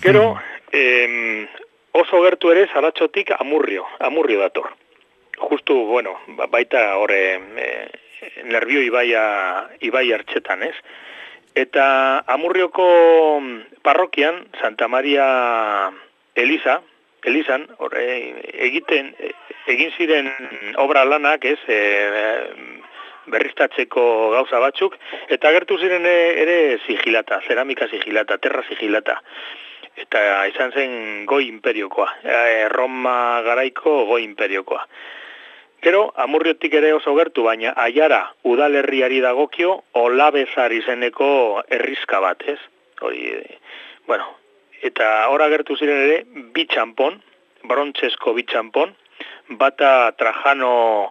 Gero, oso gertu ere Zaratxotik Amurrio dator. Justu, bueno, baita horre Nerbio ibai hartxetan, ez? Eta Amurrioko parrokian, Santa Maria Elizan, egin ziren obra lanak, ez, berriztatzeko gauza batzuk, eta agertu ziren ere sigilata, ceramika sigilata, terra sigilata. Eta izan zen goi imperiokoa, Roma garaiko goi imperiokoa. Gero, Amurriotik ere oso gertu, baina Aiara udalerriari dagokio Olabezar izeneko herrizka bat, ez? Hori, bueno, eta hor agertu ziren ere bi txanpon, brontzesko bi txanpon, bata Trajano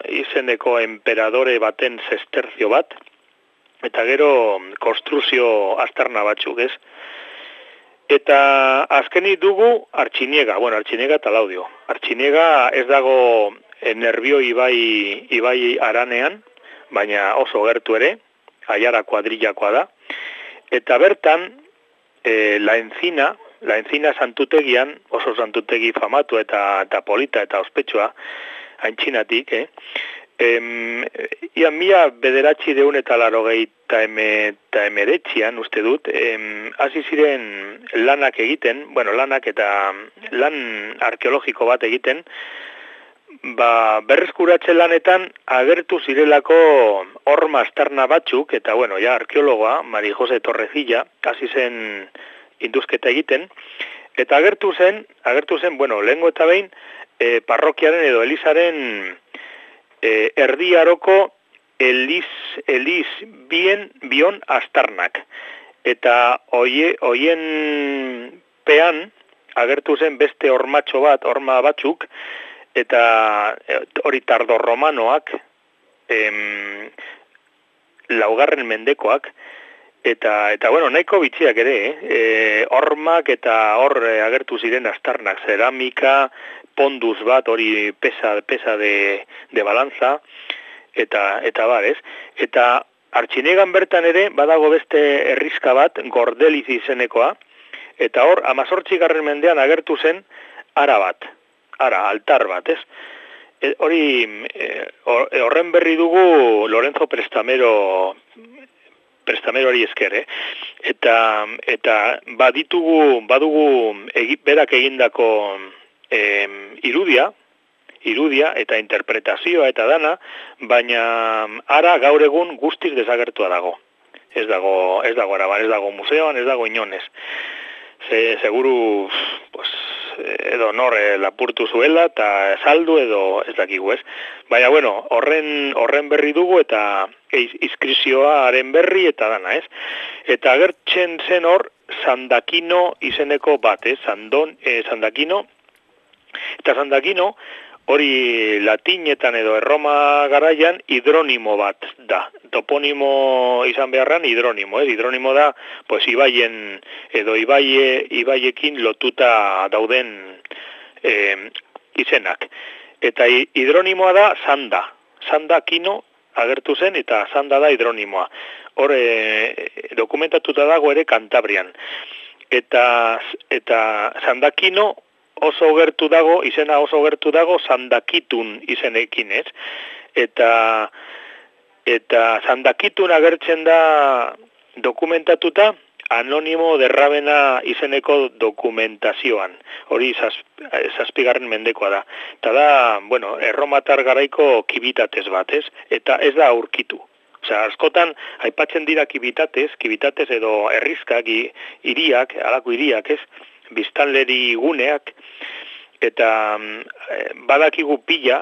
izeneko emperadore baten sesterzio bat, eta gero konstruzio aztarna batzuk, ez? Eta azkenik dugu Artxiniega eta Laudio. Artxiniega ez dago Nerbio ibai aranean, baina oso gertu ere, Aiara kuadrillakoa da. Eta bertan, la encina santutegian, oso santutegi famatu eta polita eta ospetsua, haintxinatik, Ia 1989 uste dut, hasi ziren lanak egiten, lanak eta lan arkeologiko bat egiten, berreskuratzen lanetan agertu zirelako horma aztarna batzuk, eta arkeologoa, Mari Jose Torrecilla, hasi zen induzketa egiten, eta agertu zen, lehengo eta behin, parrokiaren edo Elizaren erdiaroko bion aztarnak. Eta hoien pean agertu zen beste horma batzuk, eta hori tardorromanoak, laugarren mendekoak, eta nahiko bitxiak ere, hormak eta hor agertu ziren aztarnak, ceramika, pondus bat, hori pesa de balanza, eta bar, ez? Eta Artxiniegan bertan ere, badago beste herrizka bat, Gordeliz izenekoa, eta hor, 18. mendean agertu zen altar bat, ez? Horren berri dugu Lorenzo Prestameroari esker, eta badugu berak egindako irudia eta interpretazioa eta dana, baina gaur egun guztiz desagertua dago. Ez dago araban, ez dago museoan, ez dago inonez. Seguru, edo nor lapurtu zuela eta saldu edo ez dakigu, ez? Baina, horren berri dugu eta inskripzioaren berri eta dana, ez? Eta agertzen zen hor Sandakino izeneko bat, ez? Sandakino. Eta Sandakino, hori latinetan edo Erroma garaian hidronimo bat da. Toponimo izan beharran hidronimo, ez? Hidronimo da, ibaien edo ibaiekin lotuta dauden izenak. Eta hidronimoa da Sandakino agertu zen eta Sanda da hidronimoa. Hor dokumentatuta dago ere Kantabrian. Eta Sandakino izena oso gertu dago Sandakitun izenekin, ez? Eta Sandakitun agertzen da dokumentatuta Anonimo derrabena izeneko dokumentazioan. Hori 7. mendekoa da. Eta da, erromatar garaiko kibitatez bat, ez? Eta ez da aurkitu. Askotan, aipatzen dira kibitatez edo herrizkak, halako hiriak, ez? Biztanleri guneak, eta badakigu pila,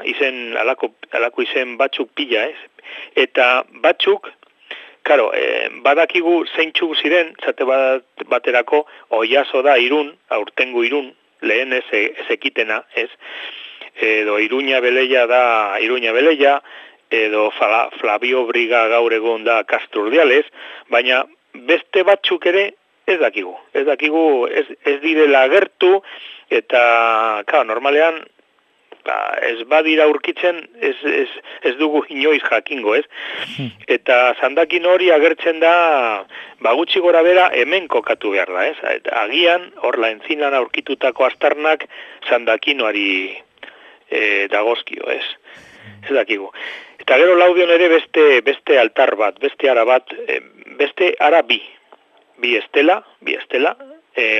halako izen batzuk pila, ez? Eta batzuk, badakigu zeintzuk ziren, zate baterako, Oiaso da Irun, aurtengo Irun, lehen ez ekitena, ez? Edo Iruña Beleia da Iruña Beleia, edo Flavio Briga gaur egun da Casturdiales, baina beste batzuk ere ez dakigu. Ez direla agertu, eta, normalean, ez badira aurkitzen, ez dugu inoiz jakingo, ez? Eta zandakin hori agertzen da, gutxi gora bera hemen kokatu behar da, ez? Eta agian, horla entzinan aurkitutako astarnak zandakinoari dagozkio, ez? Ez dakigu. Eta gero Laudion ere beste altar bat, beste ara bat, beste ara bi estela,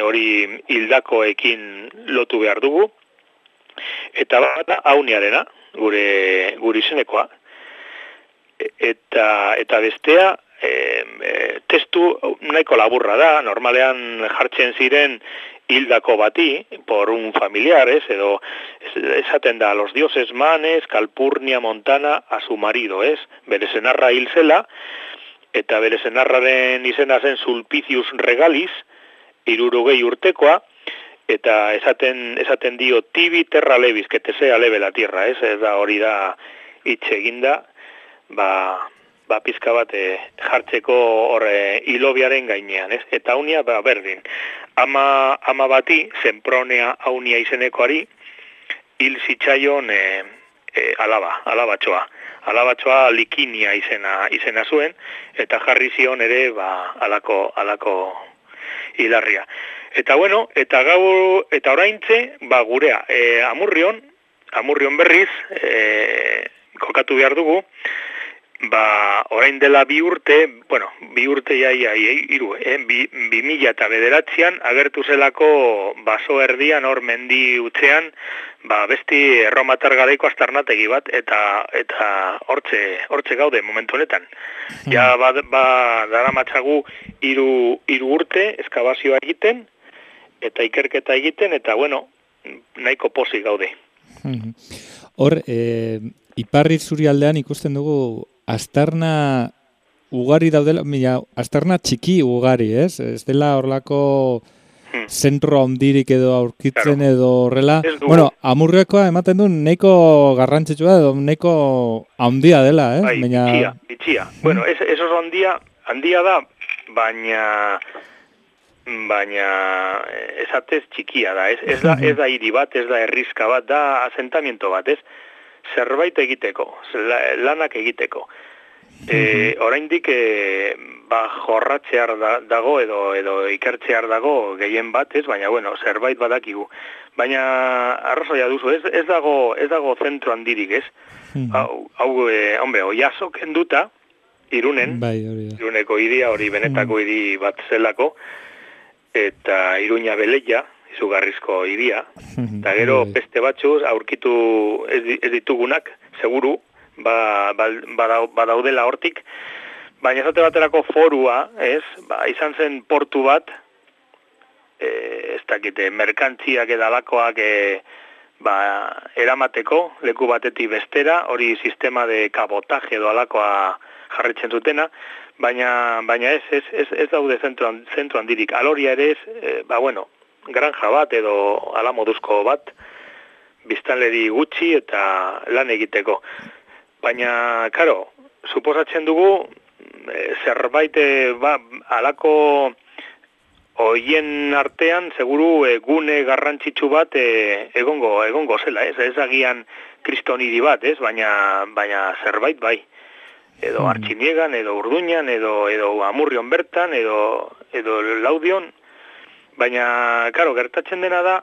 hori hildakoekin lotu behar dugu, eta bat Auniarena, gure izenekoa, eta bestea, testu nahiko laburra da, normalean jartzen ziren hildako bati, por un familiar, edo esaten da, los dioses manes, Calpurnia Montana, a su marido, bere senarra hil zela, eta bere senarraren izena zen Sulpicius Regalis, 60 urtekoa, eta esaten dio tibi terra levis, que te sea leve la tierra, da hori da hitz eginda, pizka bat jartzeko horre hilobiaren gainean, Eta Aunia, berdin, ama bati, Sempronea Aunia izenekoari, hil zitzaion alabatxoa Likinia izena zuen, eta jarri zion ere, alako hilarria. Eta bueno, eta oraintze, gurea, Amurrion berriz, kokatu behar dugu, orain dela 2 urte, 2 urte iru, 2009an agertu zelako baso erdian hor mendi utzean, besti erromatar garaiko astarnategi bat, eta hortze gaude momentu honetan. Ja, dara matxagu 3 urte eskabazioa egiten, eta ikerketa egiten, eta bueno, nahiko pozik gaude. Hor, Iparri Zurialdean ikusten dugu astarna ugari daudela, astarna txiki ugari, ez? Ez dela horlako zentro handirik edo aurkitzen edo horrela. Bueno, Amurriokoa ematen du nahiko garrantzitsua edo nahiko handia dela, eh? Bai, bitxia. Bueno, ez oso handia da, baina esatez txikia da, ez? Ez da hiri bat, ez da herrizka bat, da asentamiento bat, ez? Zerbait egiteko, lanak egiteko. Oraindik jorratzear dago edo ikertzear dago gehien bat, ez? Baina bueno, zerbait badakigu. Baina arrazoia duzu, ez dago zentro handirik, ez? Hombre, Oiaso kenduta Irunen, Iruneko hiria hori benetako hiri bat zelako, eta Iruña Beleia, izugarrizko hiria, eta gero beste batzuz aurkitu ez ditugunak, seguru, badaudela hortik, baina esate baterako Forua, izan zen portu bat, ez dakite, merkantziak edalakoak eramateko, leku batetik bestera, hori sistema de kabotaje edo alakoa jarretzen zutena, baina ez daude zentro handirik. Aloria ere ez, granja bat edo ala moduzko bat, biztanleri gutxi eta lan egiteko. Baina, karo, suposatzen dugu, zerbait alako hoien artean, seguru gune garrantzitsu bat egongo zela, ez agian kristoniri bat, baina zerbait bai. Edo Artxiniegan, edo Urduñan, edo Amurrion bertan, edo Laudion. Baina, karo, gertatzen dena da,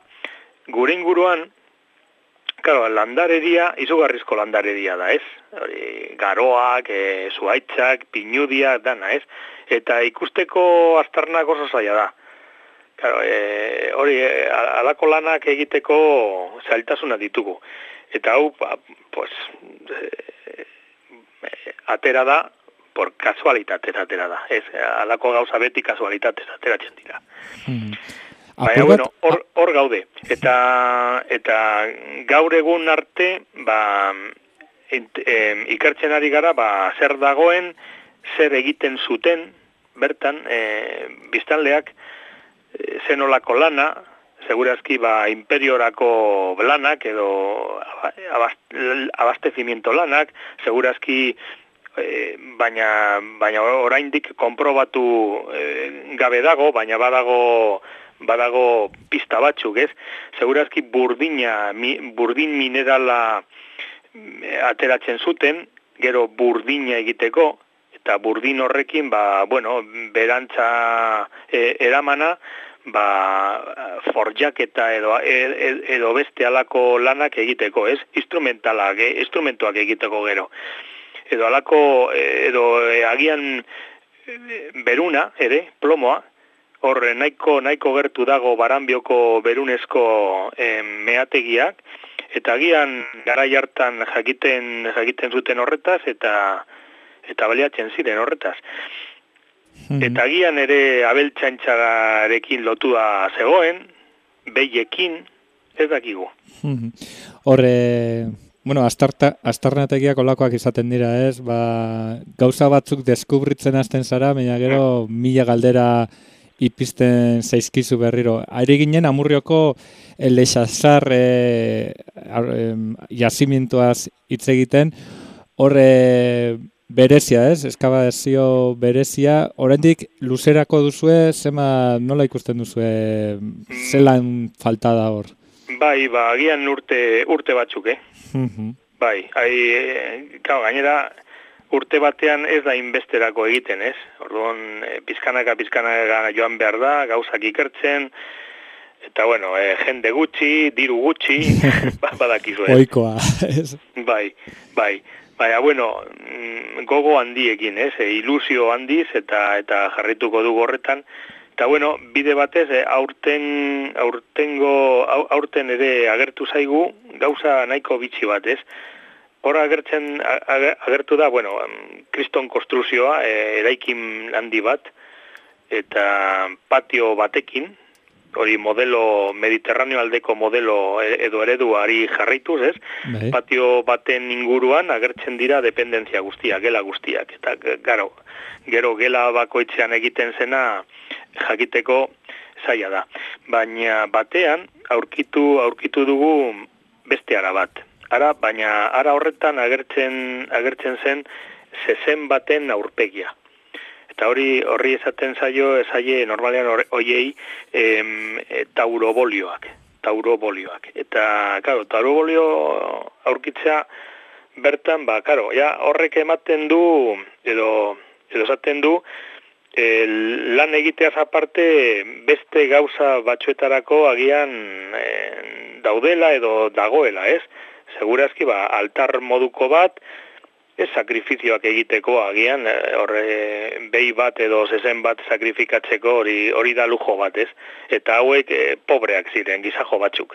gure inguruan, karo, landaredia, izugarrizko landaredia da, ez? Garoak, zuaitzak, pinudia, dana, ez? Eta ikusteko astarnak oso zaila da. Karo, hori, alako lanak egiteko zailtasuna ditugu. Eta hau, atera da, por kasualitatez atera da. Ez, alako gauza beti kasualitatez ateratzen dira. Baina, bueno, hor gaude. Eta gaur egun arte, ikertzen ari gara, zer dagoen, zer egiten zuten, bertan, biztanleak, zenolako lana, segurazki imperiorako lanak edo abastecimiento lanak, segurazki baina oraindik konprobatu gabe dago, baina badago pista batzuk, ez? Segurazki burdin minerala ateratzen zuten, gero burdina egiteko, eta burdin horrekin, berantza eramana, forjaketa edo beste alako lanak egiteko, ez? Instrumentuak egiteko gero. Edo alako, agian beruna, ere, plomoa, hor nahiko gertu dago Baranbioko berunezko meategiak, eta agian garai hartan jakiten zuten horretaz, eta baliatzen ziren horretaz. Eta agian ere abeltzaintzarekin lotua zegoen, behiekin, ez dakigu. Horre, astarnategiak olakoak izaten dira, ez? Gauza batzuk deskubritzen hasten zara, baina gero mila galdera ipisten zaizkizu berriro. Aire ginen Amurrioko Lexasar jazimientoaz hitz egiten, horre berezia, ez? Eskabazio berezia. Oraindik luzerako duzue, nola ikusten duzue, zelan falta da hor? Agian urte batzuk, gainera, urte batean ez da inbesterako egiten, ez? Orduan, pizkanaka joan behar da, gauzak ikertzen, eta jende gutxi, diru gutxi, badakizu, ez? Oikoa, ez? Baina, gogo handiekin, ez? Ilusio handiz eta jarrituko dugu horretan. Eta, bide batez, aurten ere agertu zaigu gauza nahiko bitxi bat, ez? Hor agertu da, kriston konstruzioa, eraikin handi bat, eta patio batekin, hori modelo, mediterraneo aldeko modelo edo ereduari jarraituz, ez? Patio baten inguruan agertzen dira dependentzia guztiak, gela guztiak. Eta gero gela bakoitzean egiten zena jakiteko zaila da. Baina batean aurkitu dugu beste ara bat. Baina ara horretan agertzen zen zezen baten aurpegia. Eta horri esaten zaie normalean horiei taurobolioak. Eta, taurobolio aurkitzea bertan, horrek ematen du, edo esaten du, lan egiteaz aparte beste gauza batzuetarako agian daudela edo dagoela, ez? Segurazki, altar moduko bat, ez sakrifizioak egiteko agian, behi bat edo zezen bat sakrifikatzeko hori da lujo bat, ez? Eta hauek pobreak ziren, gizajo batzuk.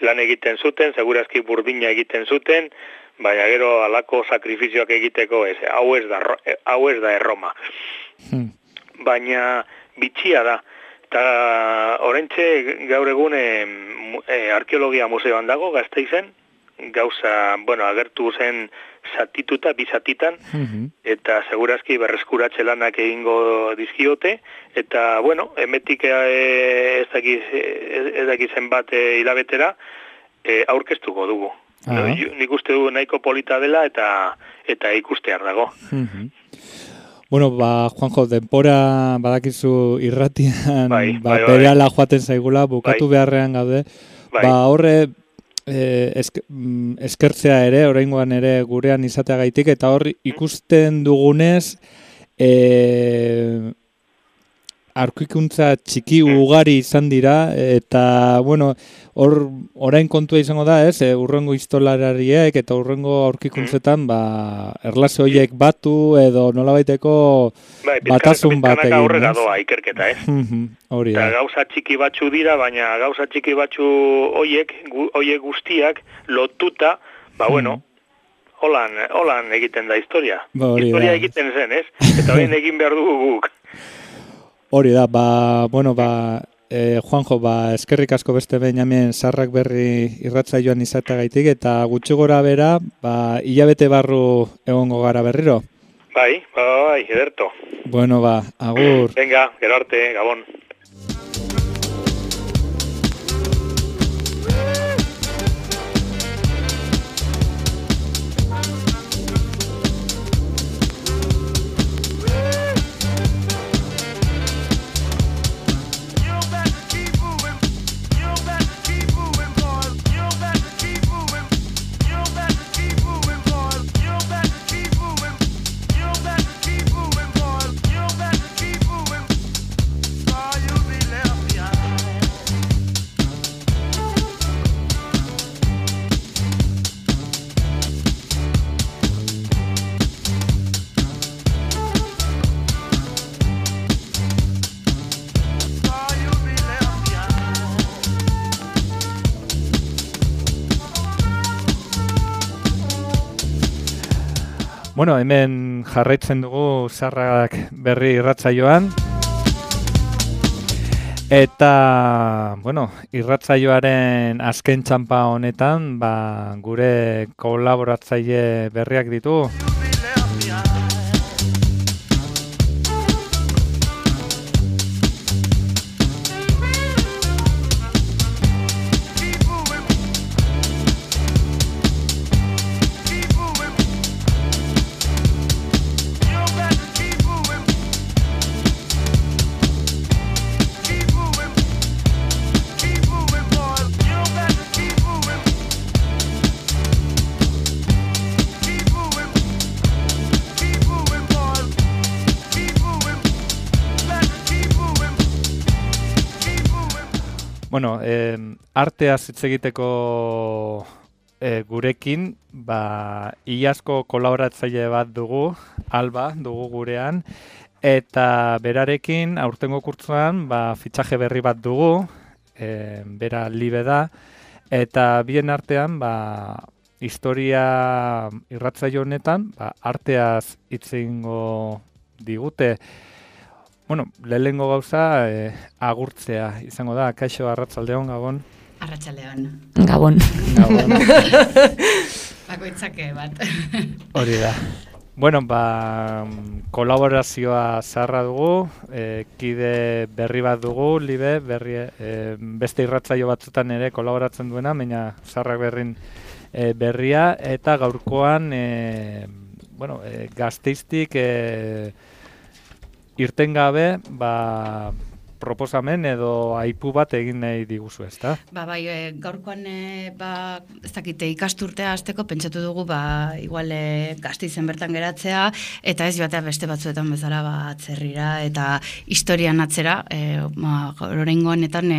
Lan egiten zuten, segurazki burdina egiten zuten, baina gero alako sakrifizioak egiteko ez, hau ez da Erroma. Baina bitxia da. Eta oraintxe gaur egun arkeologia museoan dago, Gasteizen, gauza, agertu zen zatituta, bizatitan, eta segurazki berreskuratze lanak egingo dizkiote, eta, emetik ez dakizen bat hilabetera, aurkeztuko dugu. Nik uste du nahiko polita dela eta ikustear dago. Juanjo, denbora badakizu irratian, berehala joaten zaigula, bukatu beharrean gaude, horre eskertzea ere, oraingoan ere gurean izateagaitik, eta hor ikusten dugunez, aurkikuntza txiki ugari izan dira, eta, hor orain kontua izango da, ez, urrengo historialariek eta urrengo aurkikuntzetan, erlase horiek batu edo nolabaiteko batasun bat egin. Aurrera doa ikerketa, ez? Hori da. Gauza txiki batzu dira, baina gauza txiki batzu horiek guztiak lotuta, holan egiten da historia. Historia egiten zen, ez? Eta horien egin behar dugu guk. Hori da, Juanjo, eskerrik asko beste behin hemen Sarrak Berri irratsaioan izateagaitik, eta gutxi gora bera, hilabete barru egongo gara berriro. Bai, ederto. Agur. Venga, gero arte, Gabon. Bueno, hemen jarraitzen dugu Zarrak Berri irratsaioan. Eta, bueno, irratsaioaren azken txanpa honetan, gure kolaboratzaile berriak ditu. Bueno, arteaz hitz egiteko gurekin, iazko kolaboratzaile bat dugu, Alba dugu gurean, eta berarekin aurtengo kurtzuan fitxaje berri bat dugu, bera Libe da, eta bien artean historia irratsaio honetan arteaz hitz egingo digute. Bueno, lehenengo gauza agurtzea izango da. Kaixo, arratsaldeon, Gabon. Arratsaldeon. Gabon. Gabon. Bakoitzak bat. Hori da. Bueno, kolaborazioa zaharra dugu, kide berri bat dugu, Libe, beste irratsaio batzutan ere kolaboratzen duena, baina Zarrak Berrin berria, eta gaurkoan, Gasteiztik irten gabe, proposamen edo aipu bat egin nahi diguzu, ezta? Gaurkoan, ez dakite ikasturtea hasteko pentsatu dugu, igual Gasteizen bertan geratzea, eta ez joatea beste batzuetan bezala atzerrira, eta historian atzera, oraingo honetan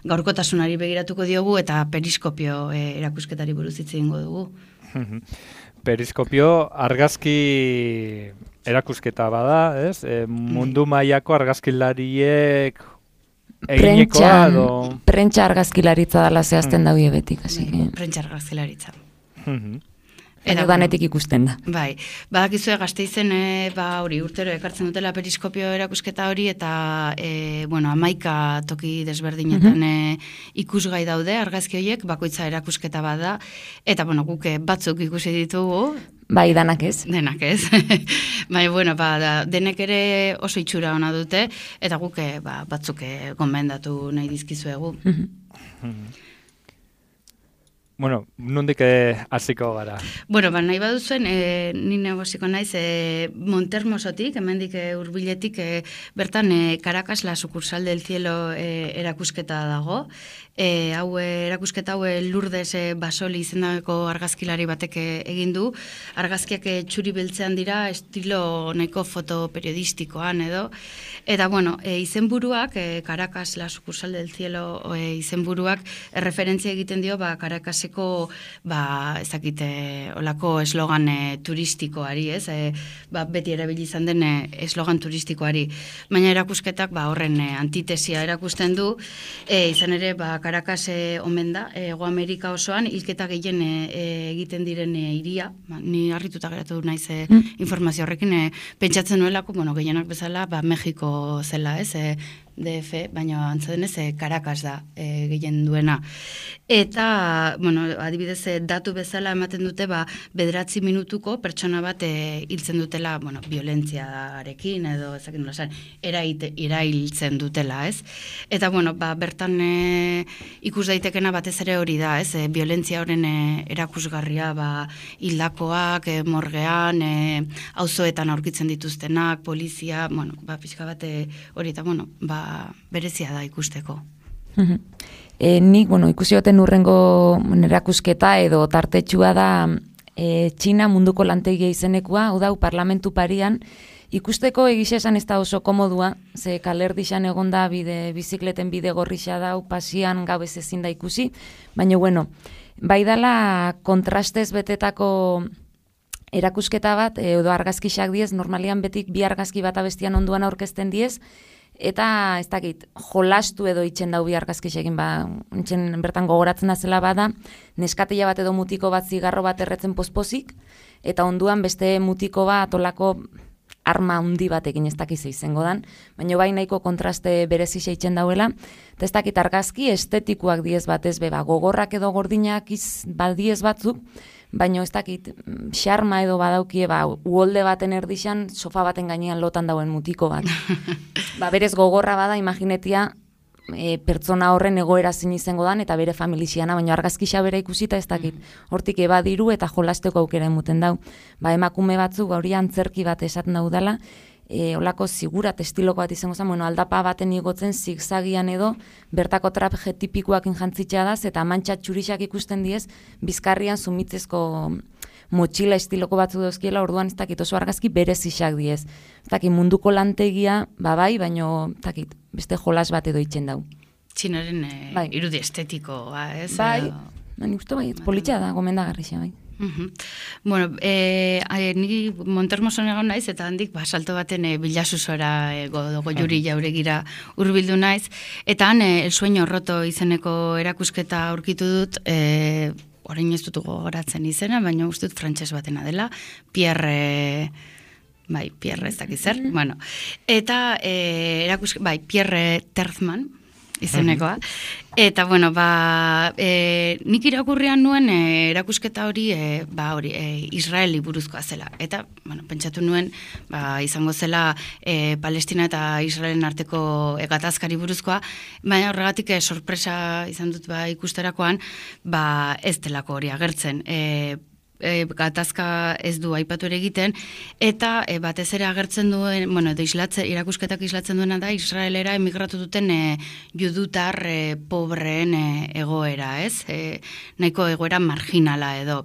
gaurkotasunari begiratuko diogu, eta periskopio erakusketari buruz hitz egingo dugu. Periskopio argazki erakusketa bada, ez? Mundu mailako argazkilariek eginekoa edo... Prentsa argazkilaritza dela zehazten daude betik, hasi. Prentsa argazkilaritza. Edo danetik ikusten da. Bai, badakizue Gasteizen hori urtero ekartzen dutela periskopio erakusketa hori, eta 11 toki desberdinetan ikusgai daude argazki horiek, bakoitza erakusketa bada, eta guk batzuk ikusi ditugu. Bai, danak ez. Denak ez. Denek ere oso itxura ona dute, eta guk batzuk gomendatu nahi dizkizuegu. Bueno, nondik hasiko gara? Nahi baduzuen, ni negoziko naiz Montermosotik, hemendik hurbiletik bertan Caracas, la sucursal del cielo erakusketa dago. Erakusketa hau Lourdes Basoli izendako argazkilari batek egin du. Argazkiak txuri beltzean dira, estilo nahiko fotoperiodistikoan edo. Eta izenburuak, Caracas, la sucursal del cielo izenburuak referentzia egiten dio Caracaseko olako eslogan turistikoari, ez? Beti erabili izan den eslogan turistikoari. Baina erakusketak horren antitesia erakusten du, izan ere Caracas omen da, Hego Amerika osoan, hilketa gehien egiten diren hiria, ni harrituta geratu naiz informazio horrekin, pentsatzen nuelako, gehienak bezala, Mexiko zela, ez? DF, baina antzadenez Caracas da gehien duena. Eta, adibidez, datu bezala ematen dute, 9 minutuko pertsona bat hiltzen dutela, violentziarekin edo ezakin nola erailtzen dutela, ez? Eta, bertan ikus daitekena batez ere hori da, ez? Violentzia horren erakusgarria, hildakoak, morgean, auzoetan aurkitzen dituztenak, polizia, pixka bat hori eta, berezia da ikusteko. Nik, ikusi goten urrengo erakusketa edo tartetxua da Txina munduko lantegia izenekua, hau dau parlamentu parian, ikusteko egixe esan ez da oso komodua, ze kalerdixan egon da bizikleten bide gorrixa dau, pasian gau ez ezin da ikusi, baina bai dala kontrastez betetako erakusketa bat, edo argazkisak diez, normalian betik bi argazki bat abestian onduan aurkezten diez, eta ez dakit, jolastu edo itxen dau bi argazkisekin, bertan gogoratzen azela bada, neskatila bat edo mutiko bat zigarro bat erretzen pospozik, eta onduan beste mutiko bat olako arma handi batekin ez dakiz izango dan, baina bai nahiko kontraste berezi seitzen dauela, eta ez dakit argazki estetikoak diez batez beba, gogorrak edo gordinak badiez batzuk, baina ez dakit xarma edo badaukie uholde baten erdixan, sofa baten gainean lotan dauen mutiko bat. Berez gogorra bada, imaginetia, pertsona horren egoera zin izango dan, eta bere familixiana, baina argazkisa bera ikusita ez dakit. Hortik ebadiru eta jolasteko aukera emuten dau. Emakume batzuk hori antzerki bat esaten daudala, olako zigurat estiloko bat izango zen, aldapa baten igotzen zigzagian edo, bertako traje tipikoak jantzitxea daz, eta mantxa txurixak ikusten diez, bizkarrian zumitzezko motxila estiloko batzu dozkiela, orduan ez dakit oso argazki berezixak diez. Ez dakit munduko lantegia, bai, baino beste jolas bat edo itzen dau. Txinaren irudi estetikoa, ez? Bai, uste politxa da, gomendagarrixa, bai. Bueno, ni Montermoson egon naiz, eta handik salto baten Bilasusora Goiuri jauregira hurbildu naiz, eta han El Sueño Roto izeneko erakusketa aurkitu dut, orain ez dut gogoratzen izena, baina uste dut frantses batena dela, Pierre ez dakiz zer, bueno, eta Pierre Terzman izenekoa, eta bueno, nik irakurrian nuen erakusketa hori, Israeli buruzkoa zela, eta bueno, pentsatu nuen izango zela Palestina eta Israelen arteko gatazkari buruzkoa, baina horregatik sorpresa izan dut ikusterakoan, ez delako hori agertzen. Gatazka ez du aipatu ere egiten, eta batez ere agertzen duen, irakusketak islatzen duena da, Israelera emigratu duten judutar pobreen egoera, ez? Nahiko egoera marginala edo.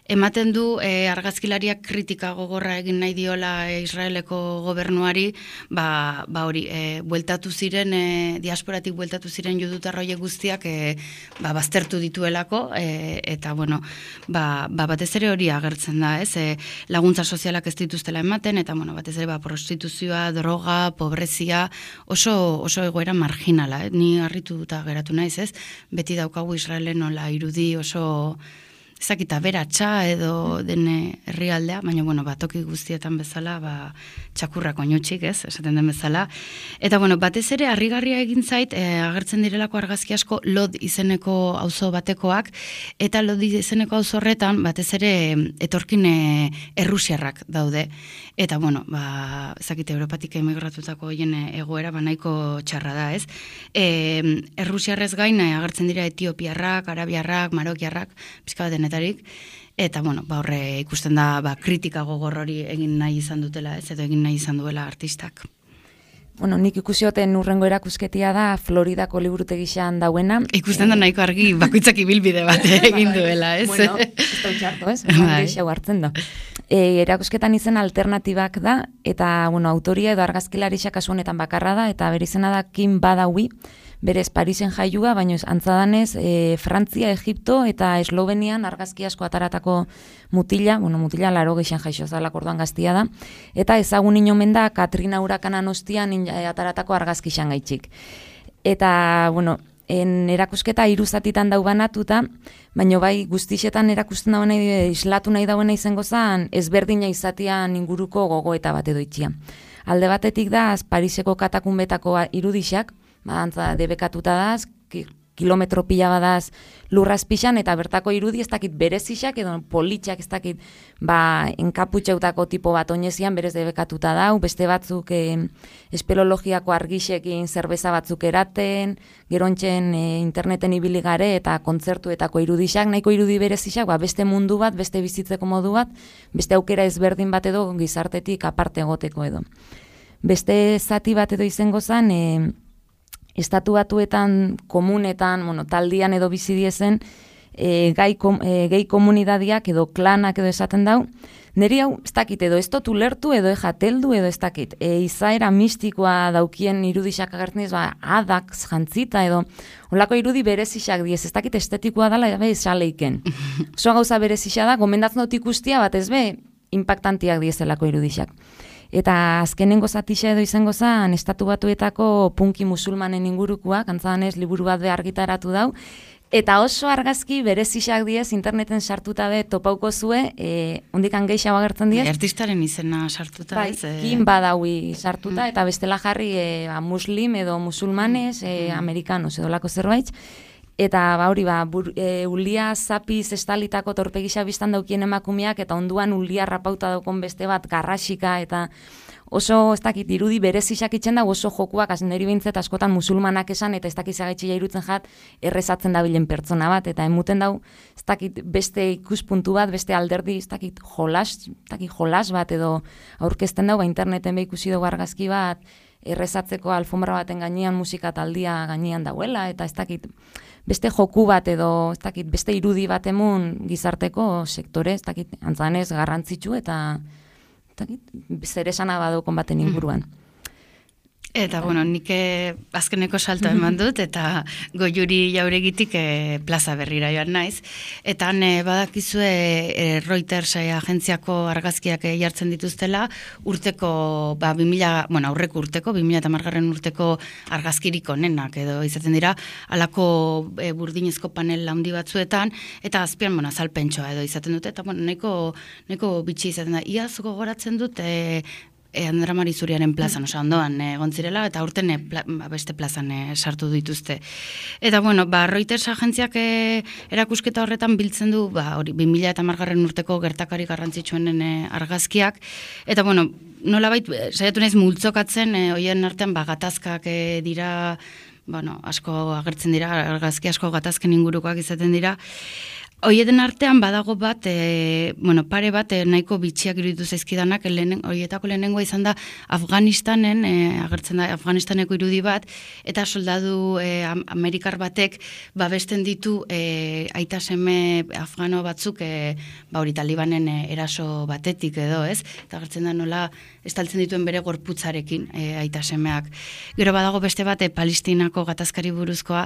Ematen du argazkilariak kritika gogorra egin nahi diola Israeleko gobernuari, hori, bueltatu ziren, diasporatik bueltatu ziren judutarroie guztiak baztertu dituelako, eta bueno, batez ere hori agertzen da, ez? Laguntza sozialak ez dituztela ematen, eta bueno, batez ere prostituzioa, droga, pobrezia, oso egoera marginala, ni harrituta geratu naiz, ez? Beti daukagu Israelen nola irudi oso ezakita beratxa edo den herrialdea, baina bueno, toki guztietan bezala, txakurrako oinutxik, ez, esaten den bezala. Eta bueno, batez ere harrigarria egin zait, agertzen direlako argazki asko Lod izeneko auzo batekoak, eta Lod izeneko auzo horretan batez ere etorkin errusiarrak daude. Eta bueno, ezakite Europatik emigratutako hoien egoera nahiko txarra da, ez? Errusiarrez gain agertzen dira etiopiarrak, arabiarrak, marokiarrak, pizka bat denetarik, eta bueno, horre ikusten da kritika gogor hori egin nahi izan dutela, ez, edo egin nahi izan duela artistak. Bueno, nik ikusioten urrengo erakusketia da Floridako liburutegixan dauena. Ikusten da nahiko argi bakoitzak ibilbide bat egin duela, ez? Bueno, ez da utxarto, ez? Geixau hartzen da. Erakusketan izen alternatibak da, eta bueno, autoria edo argazkilarixak kasu honetan bakarra da, eta bere izena da Kim Badawi, berez Parisen jaiua, baina antzadanez Frantzia, Egipto eta Eslovenian argazki asko ataratako mutila 80 jaixo zalak orduan gaztia da, eta ezagun inomen da Katrina urakanan ostian ataratako argazki gaitxik. Eta, bueno, erakusketa 3 zatitan dau banatuta, baina bai guztixetan erakusten dauen islatu nahi dauena izango zen ezberdina izatian inguruko gogoeta bat edo itxia. Alde batetik da, Pariseko katakunbetako irudixak, antza debekatuta daz, kilometro pila badaz lurraz pixan, eta bertako irudi ez dakit berezixak, edo politxak ez dakit enkaputxeutako tipo bat oinezian berez debekatuta dau, beste batzuk espelologiako argixekin zerbeza batzuk eraten, gerontxen interneten ibili gare eta kontzertuetako irudixak, nahiko irudi berezixak, beste mundu bat, beste bizitzeko modu bat, beste aukera ezberdin bat edo gizartetik aparte egoteko edo. Beste zati bat edo izango zen, Estatu Batuetan, komunetan, taldian edo bizidiezen, gehi komunidadiak edo klanak edo esaten dau, niri hau, ez dakit, edo ez dut ulertu edo ejateldu edo ez dakit, izaera mistikoa daukien irudixak agertzen diz, adak jantzita edo, holako irudi berezixak diez, ez dakit estetikoa dela, esaleiken. Oso gauza berezixak da, gomendatzen dut ikustia bat ez be, impactantiak diezelako irudixak. Eta azkenengo zatixa edo izango zen, Estatu Batuetako punki musulmanen ingurukoak, antzadanez liburu bat argitaratu dau, Eta oso argazki berezixak diez interneten sartuta be topauko zue, ondikan gehiago agertzen diez. Artistaren izena sartuta. Bai, Kim Badawi sartuta, eta bestela jarri muslim edo musulmanes, amerikanos edo lako zerbait. Eta hori ulia zapiz estalitako torpegisa biztan daukien emakumeak, eta onduan ulia rapauta daukon beste bat garrasika, eta oso, ez dakit, irudi berezixak itzen da, oso jokuak, niri behintzet askotan musulmanak esan, eta ez dakit zagetxia irutzen jat, errezatzen dabilen pertsona bat, eta emuten dau, ez dakit, beste ikuspuntu bat, beste alderdi, ez dakit, jolas bat, edo aurkezten dau, interneten ikusi dugu argazki bat, errezatzeko alfombra baten gainean, musika taldia gainean dauela, eta ez dakit, beste joku bat edo, ez dakit, beste irudi bat emun gizarteko sektore, ez dakit, antzanez garrantzitsu eta zer esana badukon baten inguruan. Eta, bueno, nik azkeneko salto eman dut, eta Goiuri Jauregitik plaza berrira joan naiz. Eta han badakizue Reuters agentziako argazkiak jartzen dituztela, urteko, aurreko urteko, 2010 urteko argazkirik onenak, edo izaten dira, alako burdinezko panel handi batzuetan, eta azpian, azalpentsoa edo izaten dute, eta, neko bitxi izaten da, iaz gogoratzen dut, Andra Marizuriaren plazan, ondoan gontzirela, eta urten beste plazan sartu dituzte. Eta, Reuters agentziak erakusketa horretan biltzen du, 2010 urteko gertakari garrantzitsuenen argazkiak, eta, nolabait, saiatu naiz multzokatzen, hoien artean, gatazkak dira, asko agertzen dira, argazki asko gatazken ingurukoak izaten dira. Hoieten artean badago bat, pare bat nahiko bitxiak iruditu zaizkidanak, horietako lehenengoa izan da Afganistanen, agertzen da Afganistaneko irudi bat, eta soldadu Amerikar batek babesten ditu aita seme afgano batzuk, hori Talibanen eraso batetik edo, ez? Eta agertzen da nola estaltzen dituen bere gorputzarekin aita semeak. Gero badago beste bat Palestinako gatazkari buruzkoa,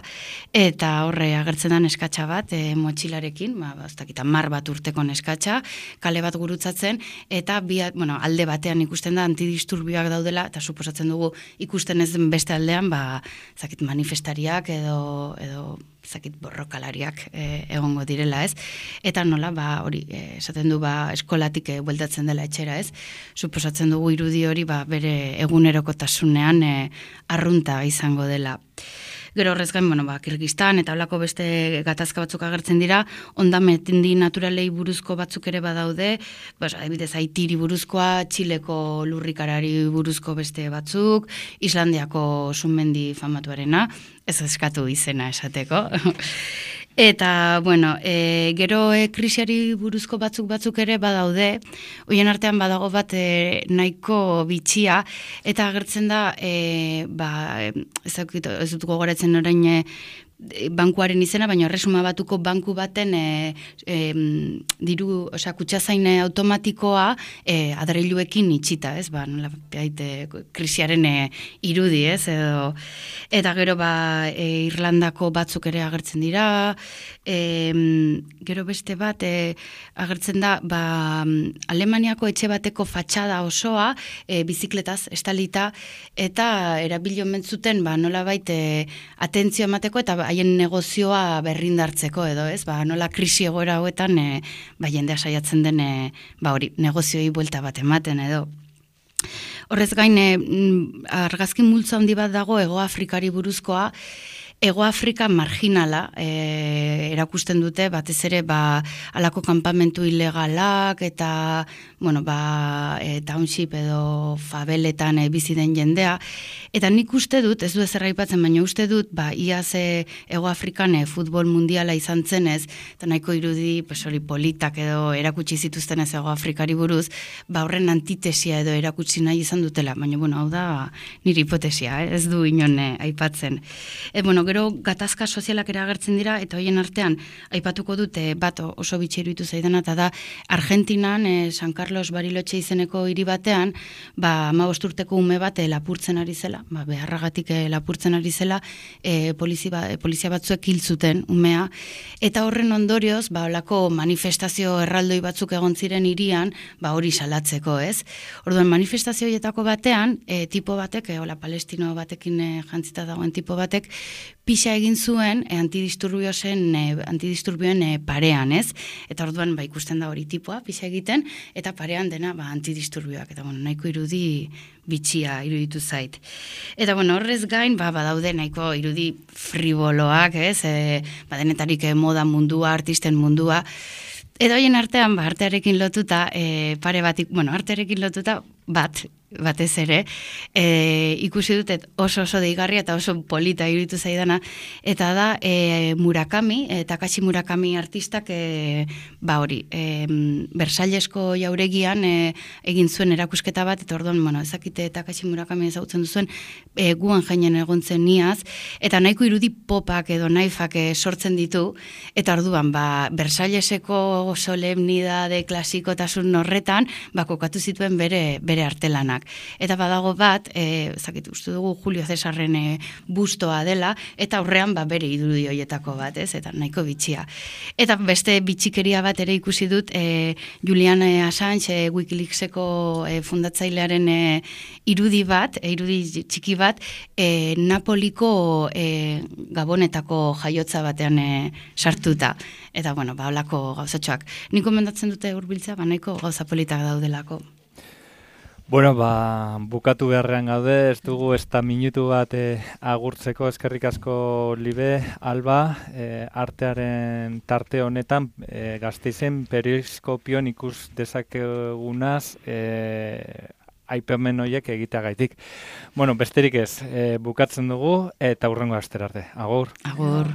eta horre agertzen da neskatxa bat, motxilarekin, mar bat urteko neskatxa, kale bat gurutzatzen, eta alde batean ikusten da antidisturbioak daudela, eta suposatzen dugu ikusten ez den beste aldean, manifestariak edo borrokalariak egongo direla, ez? Eta nola, hori, esaten du, eskolatik bueltatzen dela etxera, ez? Suposatzen dugu irudi hori, bere egunerokotasunean arrunta izango dela. Gero horrez gain, Kirgistan eta holako beste gatazka batzuk agertzen dira, ondametendi naturalei buruzko batzuk ere badaude, adibidez Haitiri buruzkoa, Txileko lurrikarari buruzko beste batzuk, Islandiako sumendi famatuarena, ez eskatu izena esateko. Eta, gero krisiari buruzko batzuk ere badaude, hoien artean badago bat nahiko bitxia, eta agertzen da, ez dut gogoratzen orain bankuaren izena, baina Erresuma Batuko banku baten kutxazain automatikoa adreiluekin itxita, ez? Krisiaren irudi, ez? Eta gero Irlandako batzuk ere agertzen dira, gero beste bat agertzen da Alemaniako etxe bateko fatxada osoa bizikletaz estalita, eta erabilo mentzuten nolabait atentzio emateko eta haien negozioa berrindartzeko edo, ez? Nola krisi egoera hauetan jendea saiatzen den negozioi buelta bat ematen edo. Horrez gain, argazki multzo handi bat dago Hego Afrikari buruzkoa, Hego Afrika marginala erakusten dute, batez ere alako kanpamentu ilegalak eta township edo fabeletan bizi den jendea. Eta nik uste dut, ez du ezer aipatzen, baina uste dut, iaz Hego Afrikan futbol mundiala izan zenez, eta nahiko irudi politak edo erakutsi zituztenez Hego Afrikari buruz, horren antitesia edo erakutsi nahi izan dutela, baina hau da nire hipotesia, ez du inon aipatzen. Gero gatazka sozialak ere agertzen dira, eta hoien artean aipatuko dute bat oso bitxeru zaidan, eta da Argentinan, San Carlos Carlos Bariloche izeneko hiri batean, 15 urteko ume bat lapurtzen ari zela, beharragatik lapurtzen ari zela, polizia batzuek hil zuten umea, eta horren ondorioz, holako manifestazio erraldoi batzuk egon ziren hirian, hori salatzeko, ez? Orduan, manifestazio horietako batean, tipo batek, palestino batekin jantzita dagoen tipo batek, pixa egin zuen antidisturbioen parean, ez? Eta orduan, ikusten da hori tipoa, pixa egiten, eta parean dena antidisturbioak, eta nahiko irudi bitxia iruditu zait. Eta horrez gain, badaude nahiko irudi friboloak, ez? Denetarik moda mundua, artisten mundua, edo hoien artean, artearekin lotuta, artearekin lotuta batez ere, ikusi dutet oso deigarria eta oso polita iruditu zaidana, eta da Murakami, Takashi Murakami artistak, Bersailesko jauregian egin zuen erakusketa bat, eta orduan, ezakite Takashi Murakami ezagutzen duzuen, guan jainen egontzen niaz, eta nahiko irudi popak edo naifak sortzen ditu, eta orduan, Versaileseko solemnidade klasikotasun horretan, kokatu zituen bere artelanak. Eta badago bat, uste dugu Julio Cesarren bustoa dela, eta aurrean bere irudi horietako bat, ez? Eta nahiko bitxia. Eta beste bitxikeria bat ere ikusi dut, Julian Assange, Wikileakseko fundatzailearen irudi txiki bat, Napoliko Gabonetako jaiotza batean sartuta. Eta, holako gauzatxoak. Nik komendatzen dute hurbiltzea, nahiko gauza politak daudelako. Bukatu beharrean gaude, ez dugu ez da minutu bat agurtzeko, eskerrik asko Libe, Alba, artearen tarte honetan, Gasteizen periskopion ikus dezakegunaz, aipamen horiek egiteagaitik. Besterik ez, bukatzen dugu eta hurrengo astera arte. Agur. Agur.